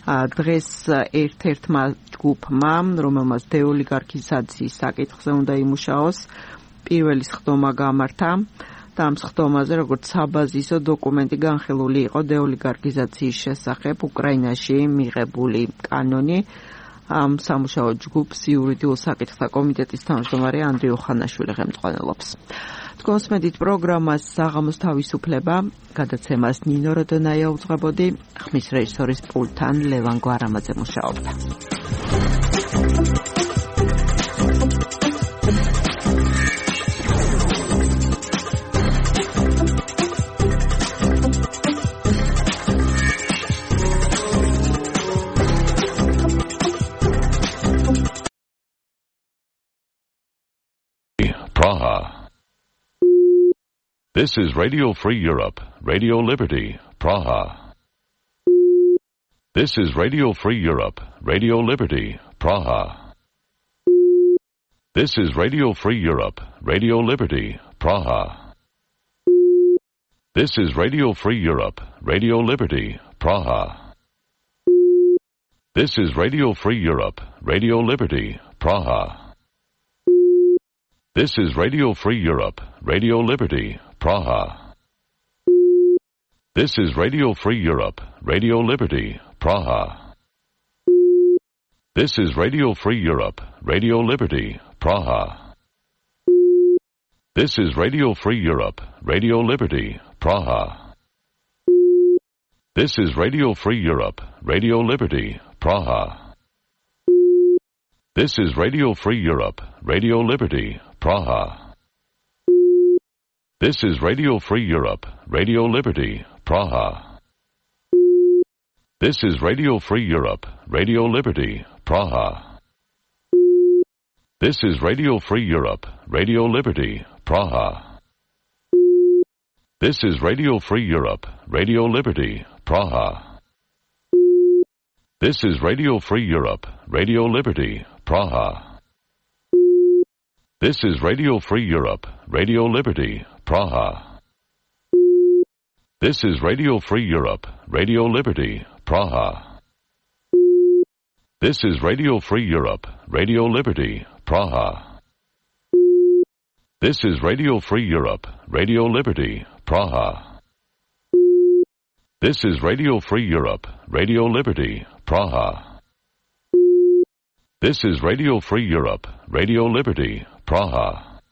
დღეს ერთ-ერთმა ჯგუფმა, რომელმაც დეოლიგარქიზაციის საკითხზე უნდა იმუშაოს, პირველი სხდომა გამართა და ამ სხდომაზე, როგორც საბაზისო დოკუმენტი განხილული იყო დეოლიგარქიზაციის შესახებ უკრაინაში მიღებული კანონი. ამ სამუშაო ჯგუფს იურიდიულ საკითხთა კომიტეტის თავმჯდომარე ანდრიუ ხანაშვილი ხელმძღვანელობს. თქვენს მედით პროგრამას საღამოს თავისუფლება, გადაცემას ნინო როდონაია უძღვებოდი, ხმის რეჟისორის პულტთან ლევან გვარამაძე მუშაობდა. Praha. This is Radio Free Europe, Radio Liberty, Praha. This is Radio Free Europe, Radio Liberty, Praha. This is Radio Free Europe, Radio Liberty, Praha. This is Radio Free Europe, Radio Liberty, Praha. This is Radio Free Europe, Radio Liberty, Praha. This is Radio Free Europe, Radio Liberty, Praha. This is Radio Free Europe, Radio Liberty, Praha. This is Radio Free Europe, Radio Liberty, Praha. This is Radio Free Europe, Radio Liberty, Praha. This is Radio Free Europe, Radio Liberty, Praha. This is Radio Free Europe, Radio Liberty, Praha. This is Radio Free Europe, Radio Liberty, Praha. This is Radio Free Europe, Radio Liberty, Praha. This is Radio Free Europe, Radio Liberty, Praha. This is Radio Free Europe, Radio Liberty, Praha. This is Radio Free Europe, Radio Liberty, Praha. This is Radio Free Europe, Radio Liberty, Praha. This is Radio Free Europe, Radio Liberty, Praha. This is Radio Free Europe, Radio Liberty, Praha. This is Radio Free Europe, Radio Liberty, Praha. This is Radio Free Europe, Radio Liberty, Praha. This is Radio Free Europe, Radio Liberty, Praha.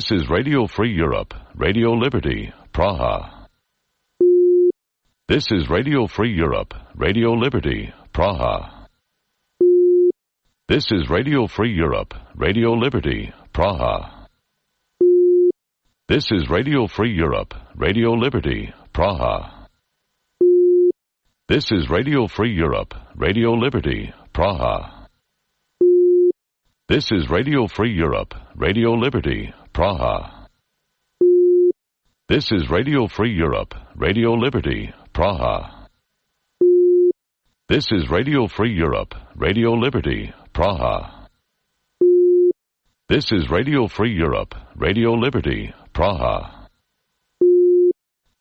This is Radio Free Europe, Radio Liberty, Praha. This is Radio Free Europe, Radio Liberty, Praha. This is Radio Free Europe, Radio Liberty, Praha. This is Radio Free Europe, Radio Liberty, Praha. This is Radio Free Europe, Radio Liberty, Praha. This is Radio Free Europe, Radio Liberty, Praha. This is Radio Free Europe, Radio Liberty, Praha. This is Radio Free Europe, Radio Liberty, Praha. This is Radio Free Europe, Radio Liberty, Praha.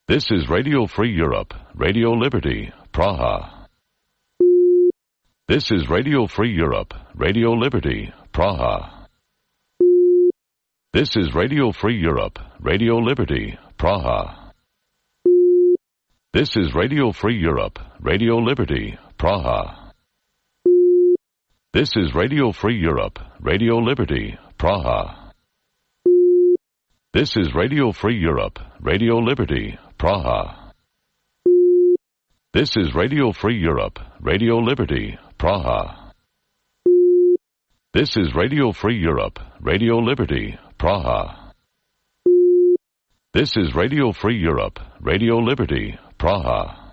This is Radio Free Europe, Radio Liberty, Praha. This is Radio Free Europe, Radio Liberty, Praha. This is Radio Free Europe, Radio Liberty, Praha. This is Radio Free Europe, Radio Liberty, Praha. This is Radio Free Europe, Radio Liberty, Praha. This is Radio Free Europe, Radio Liberty, Praha. This is Radio Free Europe, Radio Liberty, Praha. This is Radio Free Europe, Radio Liberty, Praha. This is Radio Free Europe, Radio Liberty, Praha.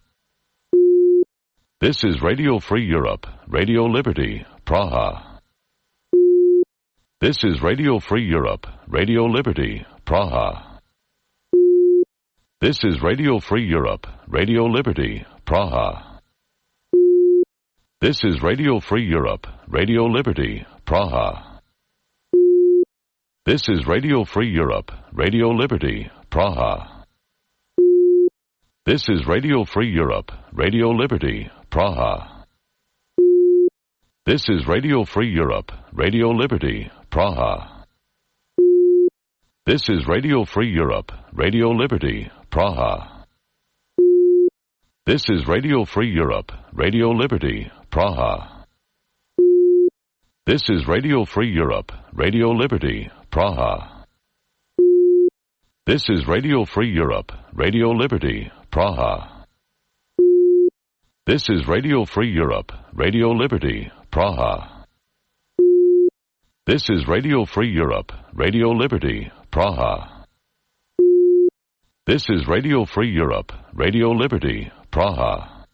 This is Radio Free Europe, Radio Liberty, Praha. This is Radio Free Europe, Radio Liberty, Praha. This is Radio Free Europe, Radio Liberty, Praha. This is Radio Free Europe, Radio Liberty, Praha. This is Radio Free Europe, Radio Liberty, Praha. This is Radio Free Europe, Radio Liberty, Praha. This is Radio Free Europe, Radio Liberty, Praha. This is Radio Free Europe, Radio Liberty, Praha. This is Radio Free Europe, Radio Liberty, Praha. This is Radio Free Europe, Radio Liberty, Praha. This is Radio Free Europe, Radio Liberty, Praha. This is Radio Free Europe, Radio Liberty, Praha. This is Radio Free Europe, Radio Liberty, Praha. This is Radio Free Europe, Radio Liberty, Praha.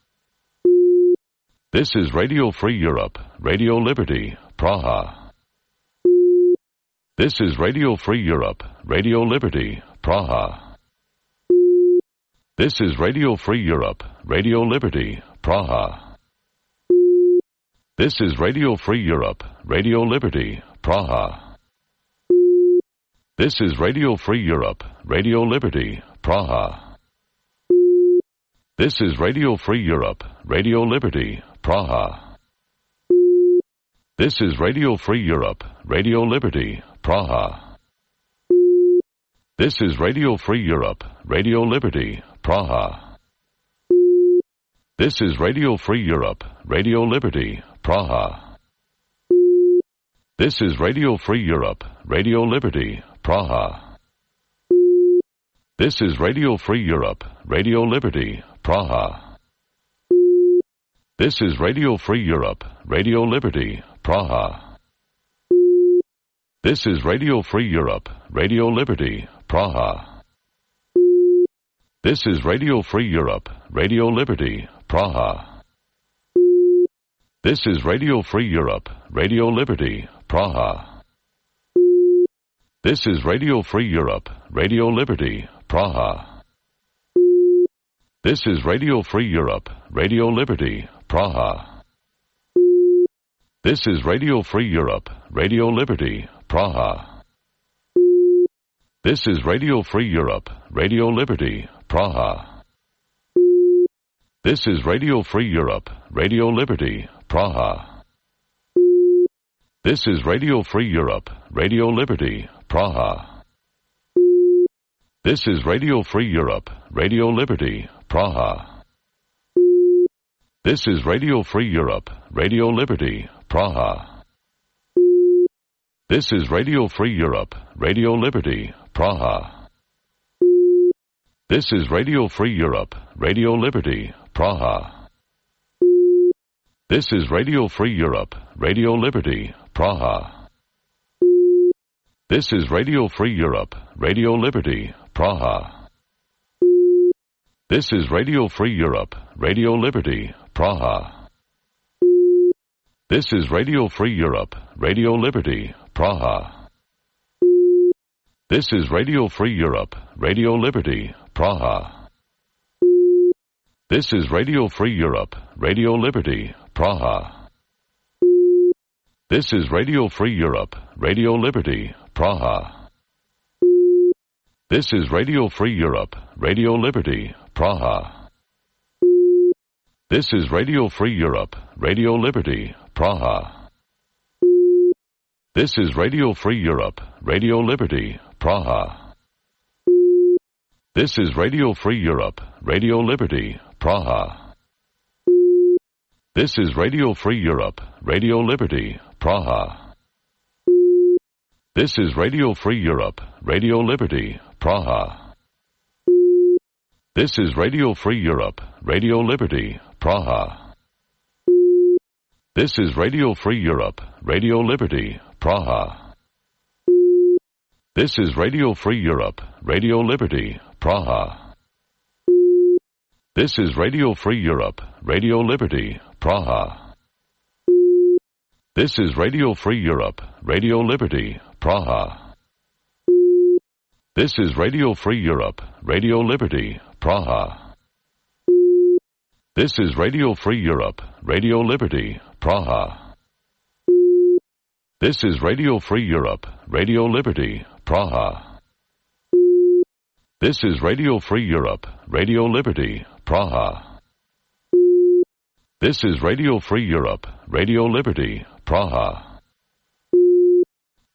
This is Radio Free Europe, Radio Liberty, Praha. This is Radio Free Europe, Radio Liberty, Praha. This is Radio Free Europe, Radio Liberty, Praha. This is Radio Free Europe, Radio Liberty, Praha. This is Radio Free Europe, Radio Liberty, Praha. This is Radio Free Europe, Radio Liberty, Praha. This is Radio Free Europe, Radio Liberty, Praha. This is Radio Free Europe, Radio Liberty, Praha. This is Radio Free Europe, Radio Liberty, Praha. This is Radio Free Europe, Radio Liberty, Praha. This is Radio Free Europe, Radio Liberty, Praha. This is Radio Free Europe, Radio Liberty, Praha. This is Radio Free Europe, Radio Liberty, Praha. This is Radio Free Europe, Radio Liberty, Praha. This is Radio Free Europe, Radio Liberty, Praha. This is Radio Free Europe, Radio Liberty, Praha. This is Radio Free Europe, Radio Liberty, Praha. This is Radio Free Europe, Radio Liberty, Praha. This is Radio Free Europe, Radio Liberty, Praha. This is Radio Free Europe, Radio Liberty, Praha. This is Radio Free Europe, Radio Liberty, Praha. This is Radio Free Europe, Radio Liberty, Praha. This is Radio Free Europe, Radio Liberty, Praha. This is Radio Free Europe, Radio Liberty, Praha. This is Radio Free Europe, Radio Liberty, Praha. This is Radio Free Europe, Radio Liberty, Praha. This is Radio Free Europe, Radio Liberty, Praha. This is Radio Free Europe, Radio Liberty, Praha. This is Radio Free Europe, Radio Liberty, Praha. This is Radio Free Europe, Radio Liberty, Praha. This is Radio Free Europe, Radio Liberty, Praha. This is Radio Free Europe, Radio Liberty, Praha. This is Radio Free Europe, Radio Liberty, Praha. This is Radio Free Europe, Radio Liberty, Praha. This is Radio Free Europe, Radio Liberty, Praha. This is Radio Free Europe, Radio Liberty, Praha. This is Radio Free Europe, Radio Liberty, Praha. This is Radio Free Europe, Radio Liberty, Praha. This is Radio Free Europe, Radio Liberty, Praha. This is Radio Free Europe, Radio Liberty, Praha. This is Radio Free Europe, Radio Liberty, Praha. This is Radio Free Europe, Radio Liberty, Praha. This is Radio Free Europe, Radio Liberty, Praha. This is Radio Free Europe, Radio Liberty, Praha. This is Radio Free Europe, Radio Liberty, Praha. This is Radio Free Europe, Radio Liberty, Praha. This is Radio Free Europe, Radio Liberty, Praha. This is Radio Free Europe, Radio Liberty, Praha.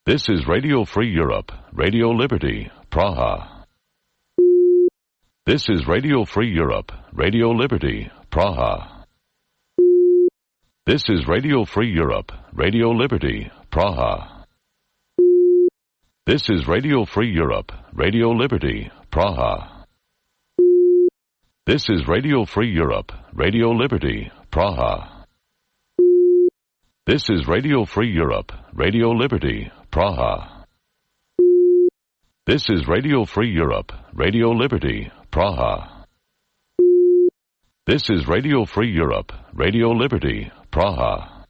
This is Radio Free Europe, Radio Liberty, Praha. This is Radio Free Europe, Radio Liberty, Praha. This is Radio Free Europe, Radio Liberty, Praha. This is Radio Free Europe, Radio Liberty, Praha. This is Radio Free Europe, Radio Liberty, Praha. This is Radio Free Europe, Radio Liberty, Praha. This is Radio Free Europe, Radio Liberty, Praha. This is Radio Free Europe, Radio Liberty, Praha.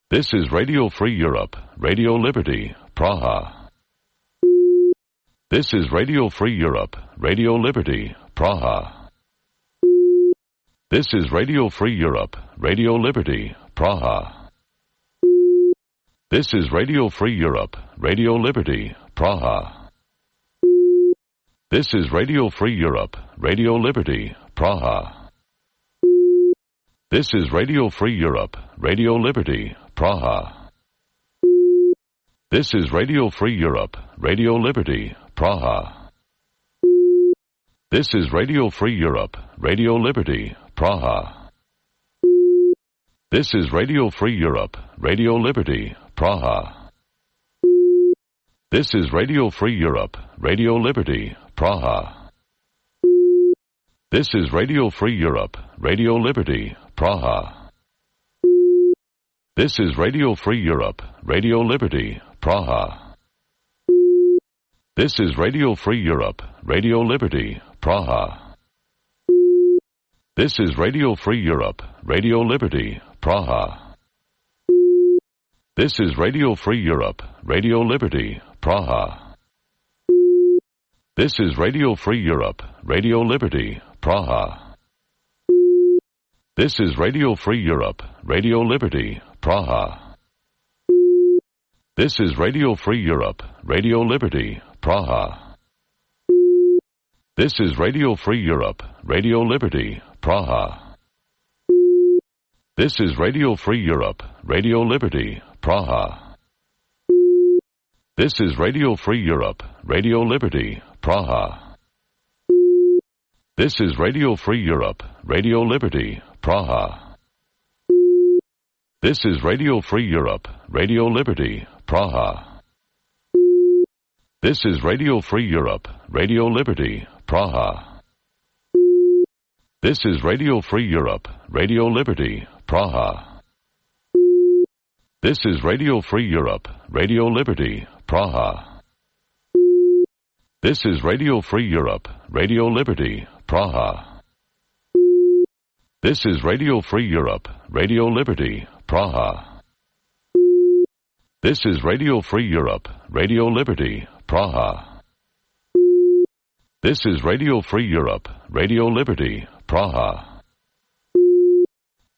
This is Radio Free Europe, Radio Liberty, Praha. This is Radio Free Europe, Radio Liberty, Praha. This is Radio Free Europe, Radio Liberty, Praha. This is Radio Free Europe, Radio Liberty, Praha. This is Radio Free Europe, Radio Liberty, Praha. This is Radio Free Europe, Radio Liberty, Praha. This is Radio Free Europe, Radio Liberty, Praha. This is Radio Free Europe, Radio Liberty, Praha. This is Radio Free Europe, Radio Liberty, Praha. This is Radio Free Europe, Radio Liberty, Praha. This is Radio Free Europe, Radio Liberty, Praha. This is Radio Free Europe, Radio Liberty, Praha. This is Radio Free Europe, Radio Liberty, Praha. This is Radio Free Europe, Radio Liberty, Praha. This is Radio Free Europe, Radio Liberty, Praha. This is Radio Free Europe, Radio Liberty, Praha. This is Radio Free Europe, Radio Liberty, Praha. This is Radio Free Europe, Radio Liberty, Praha. This is Radio Free Europe, Radio Liberty, Praha. This is Radio Free Europe, Radio Liberty, Praha. This is Radio Free Europe, Radio Liberty, Praha. This is Radio Free Europe, Radio Liberty, Praha. This is Radio Free Europe, Radio Liberty, Praha. This is Radio Free Europe, Radio Liberty, Praha. This is Radio Free Europe, Radio Liberty, Praha. This is Radio Free Europe, Radio Liberty, Praha. This is Radio Free Europe, Radio Liberty, Praha. This is Radio Free Europe, Radio Liberty, Praha. This is Radio Free Europe, Radio Liberty, Praha. This is Radio Free Europe, Radio Liberty, Praha.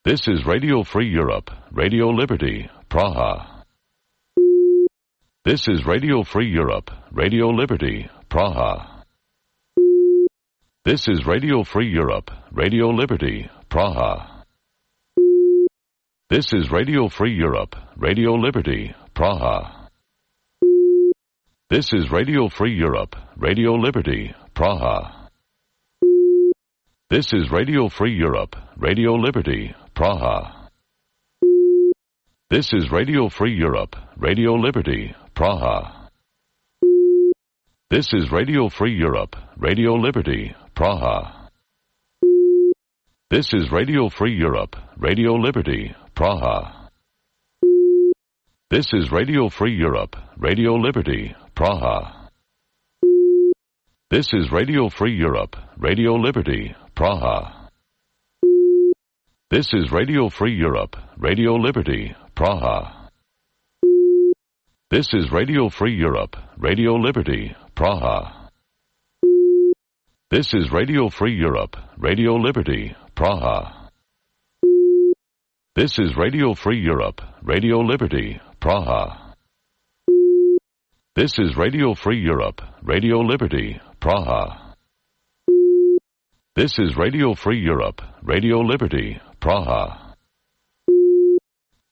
This is Radio Free Europe, Radio Liberty, Praha. This is Radio Free Europe, Radio Liberty, Praha. This is Radio Free Europe, Radio Liberty, Praha. This is Radio Free Europe, Radio Liberty, Praha. This is Radio Free Europe, Radio Liberty, Praha. This is Radio Free Europe, Radio Liberty, Praha. This is Radio Free Europe, Radio Liberty, Praha. This is Radio Free Europe, Radio Liberty, Praha. This is Radio Free Europe, Radio Liberty, Praha. This is Radio Free Europe, Radio Liberty, Praha. This is Radio Free Europe, Radio Liberty, Praha. This is Radio Free Europe, Radio Liberty, Praha. This is Radio Free Europe, Radio Liberty, Praha. This is Radio Free Europe, Radio Liberty, Praha. This is Radio Free Europe, Radio Liberty, Praha. This is Radio Free Europe, Radio Liberty, Praha. This is Radio Free Europe, Radio Liberty, Praha.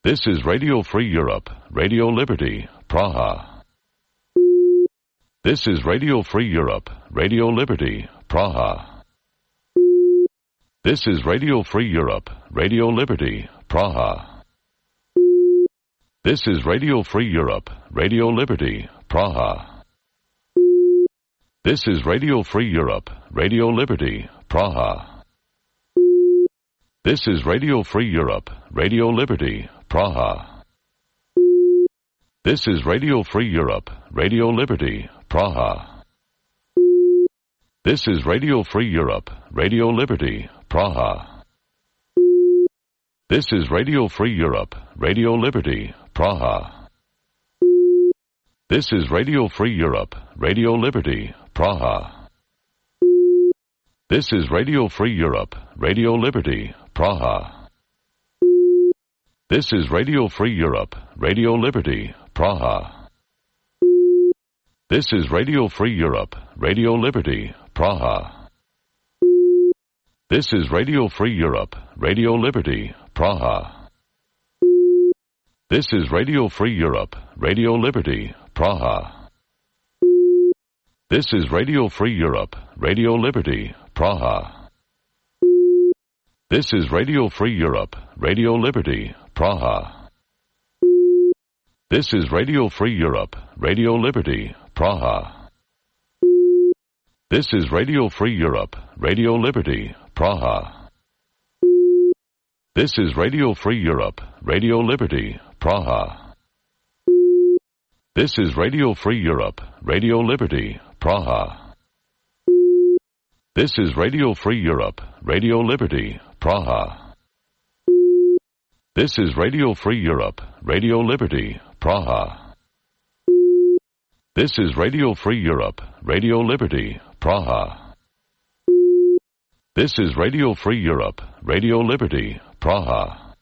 This is Radio Free Europe, Radio Liberty, Praha. This is Radio Free Europe, Radio Liberty, Praha. This is Radio Free Europe, Radio Liberty, Praha. This is Radio Free Europe, Radio Liberty, Praha. This is Radio Free Europe, Radio Liberty, Praha. This is Radio Free Europe, Radio Liberty, Praha. This is Radio Free Europe, Radio Liberty, Praha. This is Radio Free Europe, Radio Liberty, Praha. This is Radio Free Europe, Radio Liberty, Praha. This is Radio Free Europe, Radio Liberty, Praha. This is Radio Free Europe, Radio Liberty, Praha. This is Radio Free Europe, Radio Liberty, Praha. This is Radio Free Europe, Radio Liberty, Praha. This is Radio Free Europe, Radio Liberty, Praha. This is Radio Free Europe, Radio Liberty, Praha. This is Radio Free Europe, Radio Liberty, Praha. This is Radio Free Europe, Radio Liberty, Praha. This is Radio Free Europe, Radio Liberty, Praha. This is Radio Free Europe, Radio Liberty, Praha. This is Radio Free Europe, Radio Liberty, Praha. This is Radio Free Europe, Radio Liberty, Praha. This is Radio Free Europe, Radio Liberty, Praha. This is Radio Free Europe, Radio Liberty, Praha. This is Radio Free Europe, Radio Liberty, Praha. This is Radio Free Europe, Radio Liberty, Praha.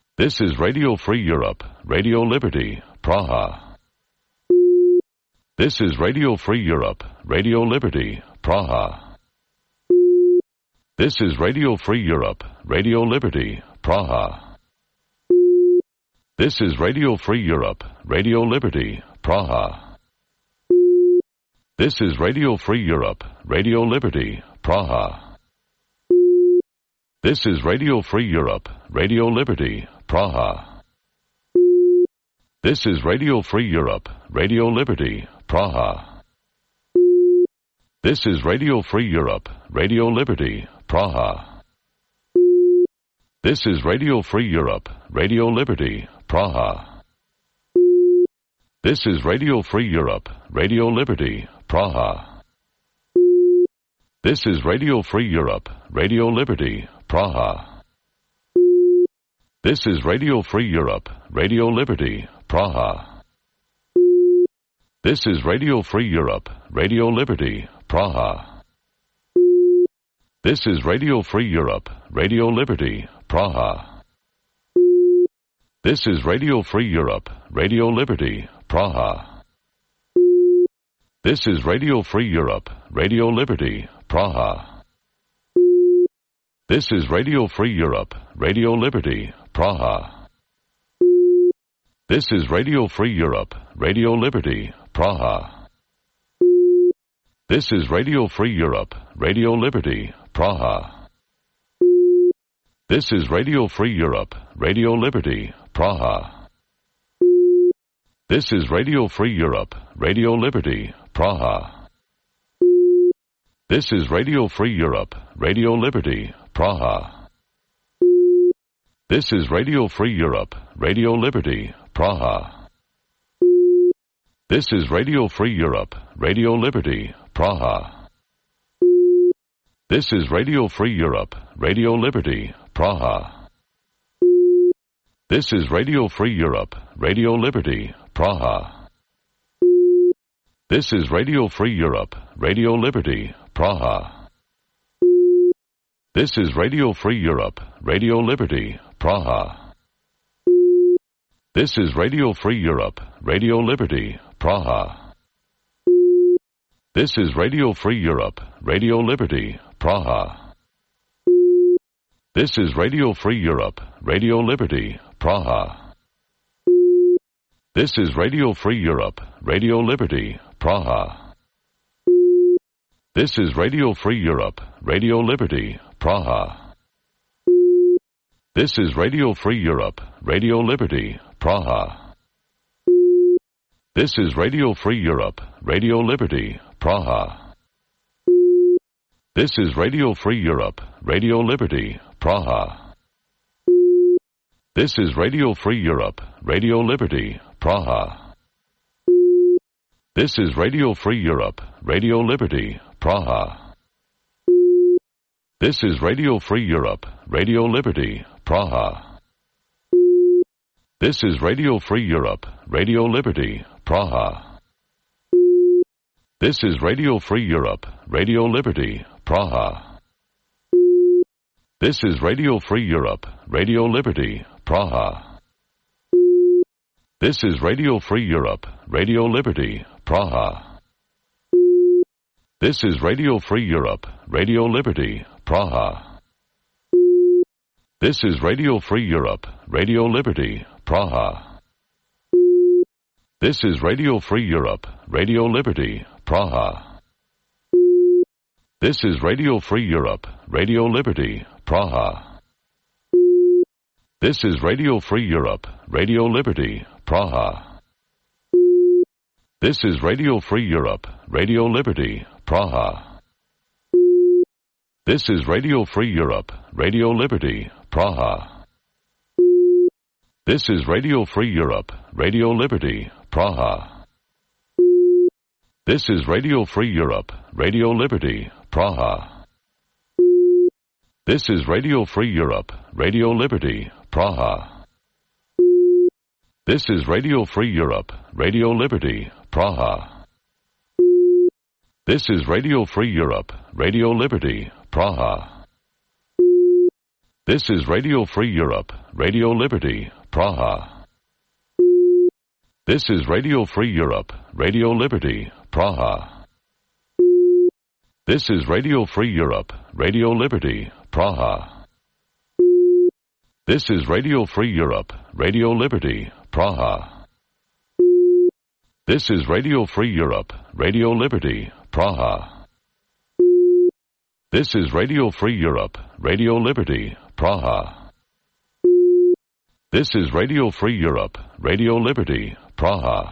This is Radio Free Europe, Radio Liberty, Praha. This is Radio Free Europe, Radio Liberty, Praha. This is Radio Free Europe, Radio Liberty, Praha. This is Radio Free Europe, Radio Liberty, Praha. This is Radio Free Europe, Radio Liberty, Praha. This is Radio Free Europe, Radio Liberty, Praha. This is Radio Free Europe, Radio Liberty, Praha. This is Radio Free Europe, Radio Liberty, Praha. This is Radio Free Europe, Radio Liberty, Praha. This is Radio Free Europe, Radio Liberty, Praha. This is Radio Free Europe, Radio Liberty, Praha. This is Radio Free Europe, Radio Liberty, Praha. This is Radio Free Europe, Radio Liberty, Praha. This is Radio Free Europe, Radio Liberty, Praha. This is Radio Free Europe, Radio Liberty, Praha. This is Radio Free Europe, Radio Liberty, Praha. This is Radio Free Europe, Radio Liberty, Praha. This is Radio Free Europe, Radio Liberty, Praha. This is Radio Free Europe, Radio Liberty, Praha. This is Radio Free Europe, Radio Liberty, Praha. This is Radio Free Europe, Radio Liberty, Praha. This is Radio Free Europe, Radio Liberty, Praha. This is Radio Free Europe, Radio Liberty, Praha. This is Radio Free Europe, Radio Liberty, Praha. This is Radio Free Europe, Radio Liberty, Praha. This is Radio Free Europe, Radio Liberty, Praha. This is Radio Free Europe, Radio Liberty, Praha. This is Radio Free Europe, Radio Liberty, Praha. This is Radio Free Europe, Radio Liberty, Praha. This is Radio Free Europe, Radio Liberty, Praha. This is Radio Free Europe, Radio Liberty, Praha. This is Radio Free Europe, Radio Liberty, Praha. This is Radio Free Europe, Radio Liberty, Praha. This is Radio Free Europe, Radio Liberty, Praha. This is Radio Free Europe, Radio Liberty, Praha. This is Radio Free Europe, Radio Liberty, Praha. This is Radio Free Europe, Radio Liberty, Praha. This is Radio Free Europe, Radio Liberty, Praha. This is Radio Free Europe, Radio Liberty, Praha. This is Radio Free Europe, Radio Liberty, Praha. This is Radio Free Europe, Radio Liberty, Praha. This is Radio Free Europe, Radio Liberty, Praha. This is Radio Free Europe, Radio Liberty, Praha. This is Radio Free Europe, Radio Liberty, Praha. This is Radio Free Europe, Radio Liberty, Praha. This is Radio Free Europe, Radio Liberty, Praha. This is Radio Free Europe, Radio Liberty, Praha. This is Radio Free Europe, Radio Liberty, Praha. This is Radio Free Europe, Radio Liberty, Praha. This is Radio Free Europe, Radio Liberty, Praha. This is Radio Free Europe, Radio Liberty, Praha. This is Radio Free Europe, Radio Liberty, Praha. This is Radio Free Europe, Radio Liberty, Praha. This is Radio Free Europe, Radio Liberty, Praha. This is Radio Free Europe, Radio Liberty, Praha. This is Radio Free Europe, Radio Liberty, Praha. This is Radio Free Europe, Radio Liberty, Praha. This is Radio Free Europe, Radio Liberty, Praha. This is Radio Free Europe, Radio Liberty, Praha. This is Radio Free Europe, Radio Liberty, Praha. This is Radio Free Europe, Radio Liberty, Praha. This is Radio Free Europe, Radio Liberty, Praha.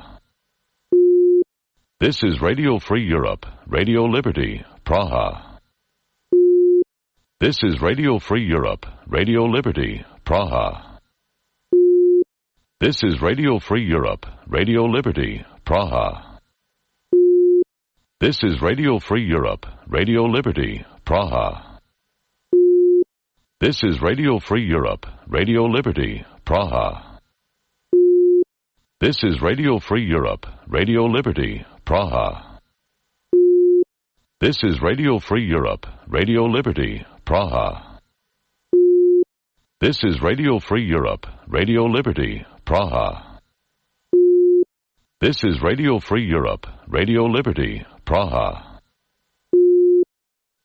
This is Radio Free Europe, Radio Liberty, Praha. This is Radio Free Europe, Radio Liberty, Praha. This is Radio Free Europe, Radio Liberty, Praha. This is Radio Free Europe, Radio Liberty, Praha. This is Radio Free Europe, Radio Liberty, Praha. This is Radio Free Europe, Radio Liberty, Praha. This is Radio Free Europe, Radio Liberty, Praha. This is Radio Free Europe, Radio Liberty, Praha. This is Radio Free Europe, Radio Liberty, Praha.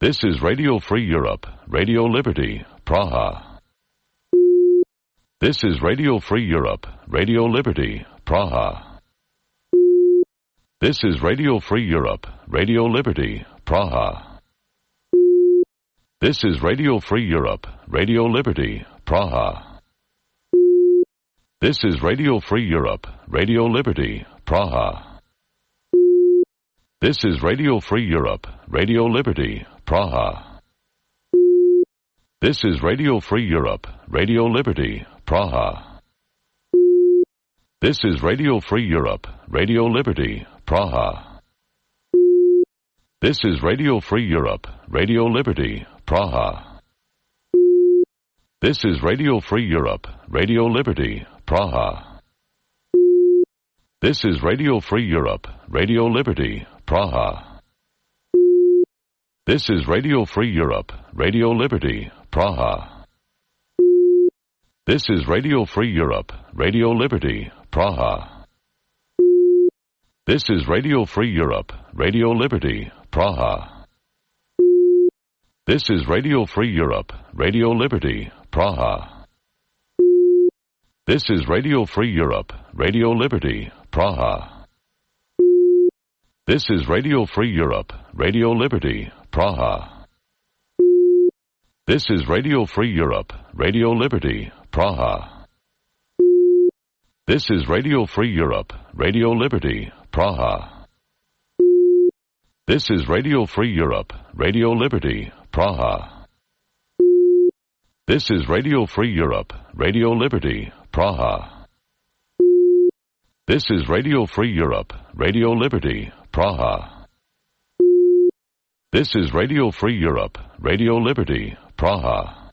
This is Radio Free Europe, Radio Liberty, Praha. This is Radio Free Europe, Radio Liberty, Praha. This is Radio Free Europe, Radio Liberty, Praha. This is Radio Free Europe, Radio Liberty, Praha. This is Radio Free Europe, Radio Liberty, Praha. This is Radio Free Europe, Radio Liberty, Praha. This is Radio Free Europe, Radio Liberty, Praha. This is Radio Free Europe, Radio Liberty, Praha. This is Radio Free Europe, Radio Liberty, Praha. This is Radio Free Europe, Radio Liberty, Praha. This is Radio Free Europe, Radio Liberty, Praha. This is Radio Free Europe, Radio Liberty, Praha. This is Radio Free Europe, Radio Liberty, Praha. This is Radio Free Europe, Radio Liberty, Praha. This is Radio Free Europe, Radio Liberty, Praha. This is Radio Free Europe, Radio Liberty, Praha. This is Radio Free Europe, Radio Liberty, Praha. This is Radio Free Europe, Radio Liberty, Praha. This is Radio Free Europe, Radio Liberty, Praha. This is Radio Free Europe, Radio Liberty, Praha. This is Radio Free Europe, Radio Liberty, Praha. This is Radio Free Europe, Radio Liberty, Praha. This is Radio Free Europe, Radio Liberty, Praha.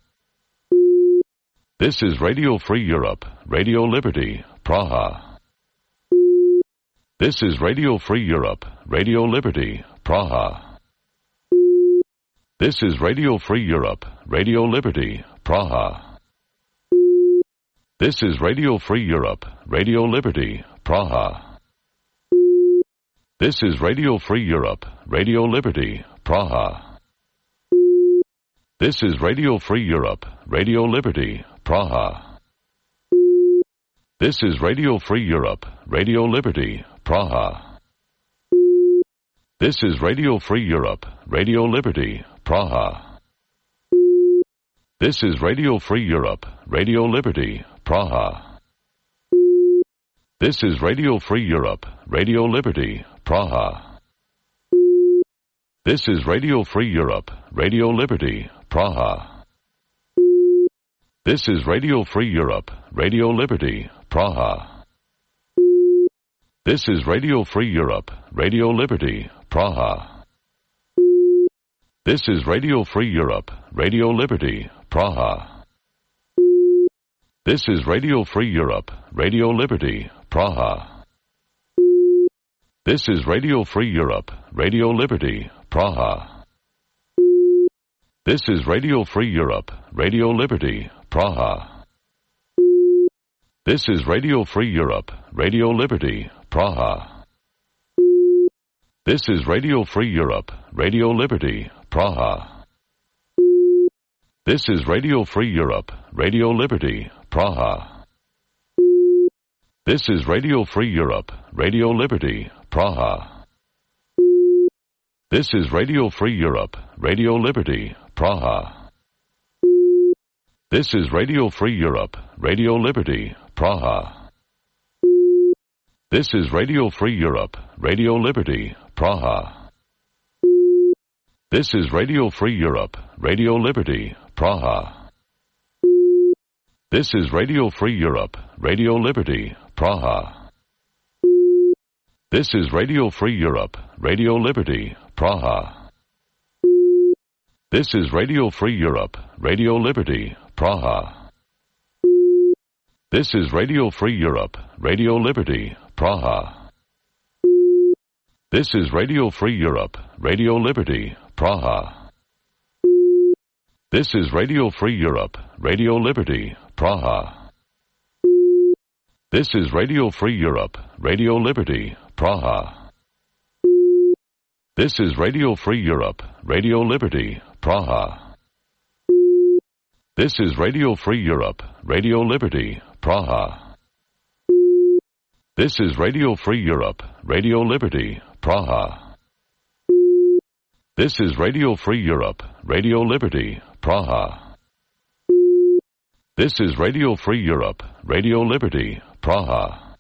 This is Radio Free Europe, Radio Liberty, Praha. This is Radio Free Europe, Radio Liberty, Praha. This is Radio Free Europe, Radio Liberty, Praha. This is Radio Free Europe, Radio Liberty, Praha. This is Radio Free Europe, Radio Liberty, Praha. This is Radio Free Europe, Radio Liberty, Praha. This is Radio Free Europe, Radio Liberty, Praha. This is Radio Free Europe, Radio Liberty, Praha. This is Radio Free Europe, Radio Liberty, Praha. This is Radio Free Europe, Radio Liberty, Praha. This is Radio Free Europe, Radio Liberty, Praha. This is Radio Free Europe, Radio Liberty, Praha. This is Radio Free Europe, Radio Liberty, Praha. This is Radio Free Europe, Radio Liberty, Praha. This is Radio Free Europe, Radio Liberty, Praha. This is Radio Free Europe, Radio Liberty, Praha. This is Radio Free Europe, Radio Liberty, Praha. This is Radio Free Europe, Radio Liberty, Praha. This is Radio Free Europe, Radio Liberty, Praha. This is Radio Free Europe, Radio Liberty, Praha. This is Radio Free Europe, Radio Liberty, Praha. This is Radio Free Europe, Radio Liberty, Praha. This is Radio Free Europe, Radio Liberty, Praha. This is Radio Free Europe, Radio Liberty, Praha. This is Radio Free Europe, Radio Liberty, Praha. This is Radio Free Europe, Radio Liberty, Praha. This is Radio Free Europe, Radio Liberty, Praha. This is Radio Free Europe, Radio Liberty, Praha. This is Radio Free Europe, Radio Liberty, Praha. This is Radio Free Europe, Radio Liberty, Praha. This is Radio Free Europe, Radio Liberty, Praha. This is Radio Free Europe, Radio Liberty, Praha. This is Radio Free Europe, Radio Liberty, Praha. This is Radio Free Europe, Radio Liberty, Praha. This is Radio Free Europe, Radio Liberty, Praha. This is Radio Free Europe, Radio Liberty, Praha. This is Radio Free Europe, Radio Liberty, Praha.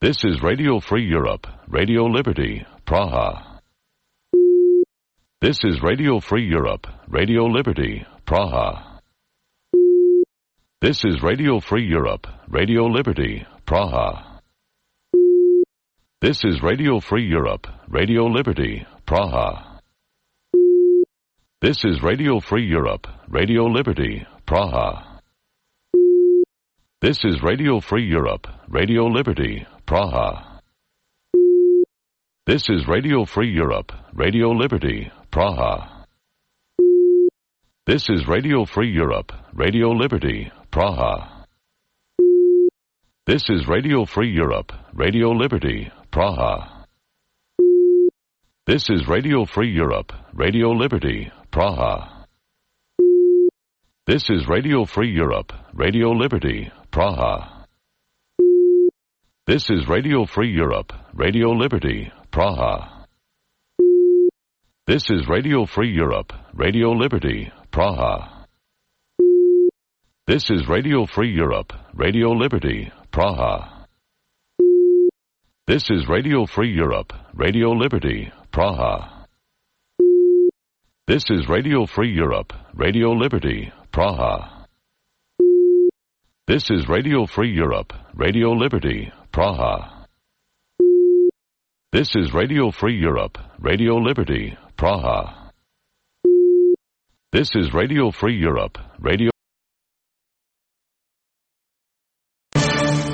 This is Radio Free Europe, Radio Liberty, Praha. This is Radio Free Europe, Radio Liberty, Praha. This is Radio Free Europe, Radio Liberty, Praha. This is Radio Free Europe, Radio Liberty, Praha. This is Radio Free Europe, Radio Liberty, Praha. This is Radio Free Europe, Radio Liberty, Praha. This is Radio Free Europe, Radio Liberty, Praha. This is Radio Free Europe, Radio Liberty, Praha. This is Radio Free Europe, Radio Liberty, Praha. This is Radio Free Europe, Radio Liberty, Praha. This is Radio Free Europe, Radio Liberty, Praha. This is Radio Free Europe, Radio Liberty, Praha. This is Radio Free Europe, Radio Liberty, Praha. This is Radio Free Europe, Radio Liberty, Praha. This is Radio Free Europe, Radio Liberty, Praha. This is Radio Free Europe, Radio Liberty, Praha. This is Radio Free Europe, Radio Liberty, Praha. This is Radio Free Europe, Radio Liberty, Praha. This is Radio Free Europe, Radio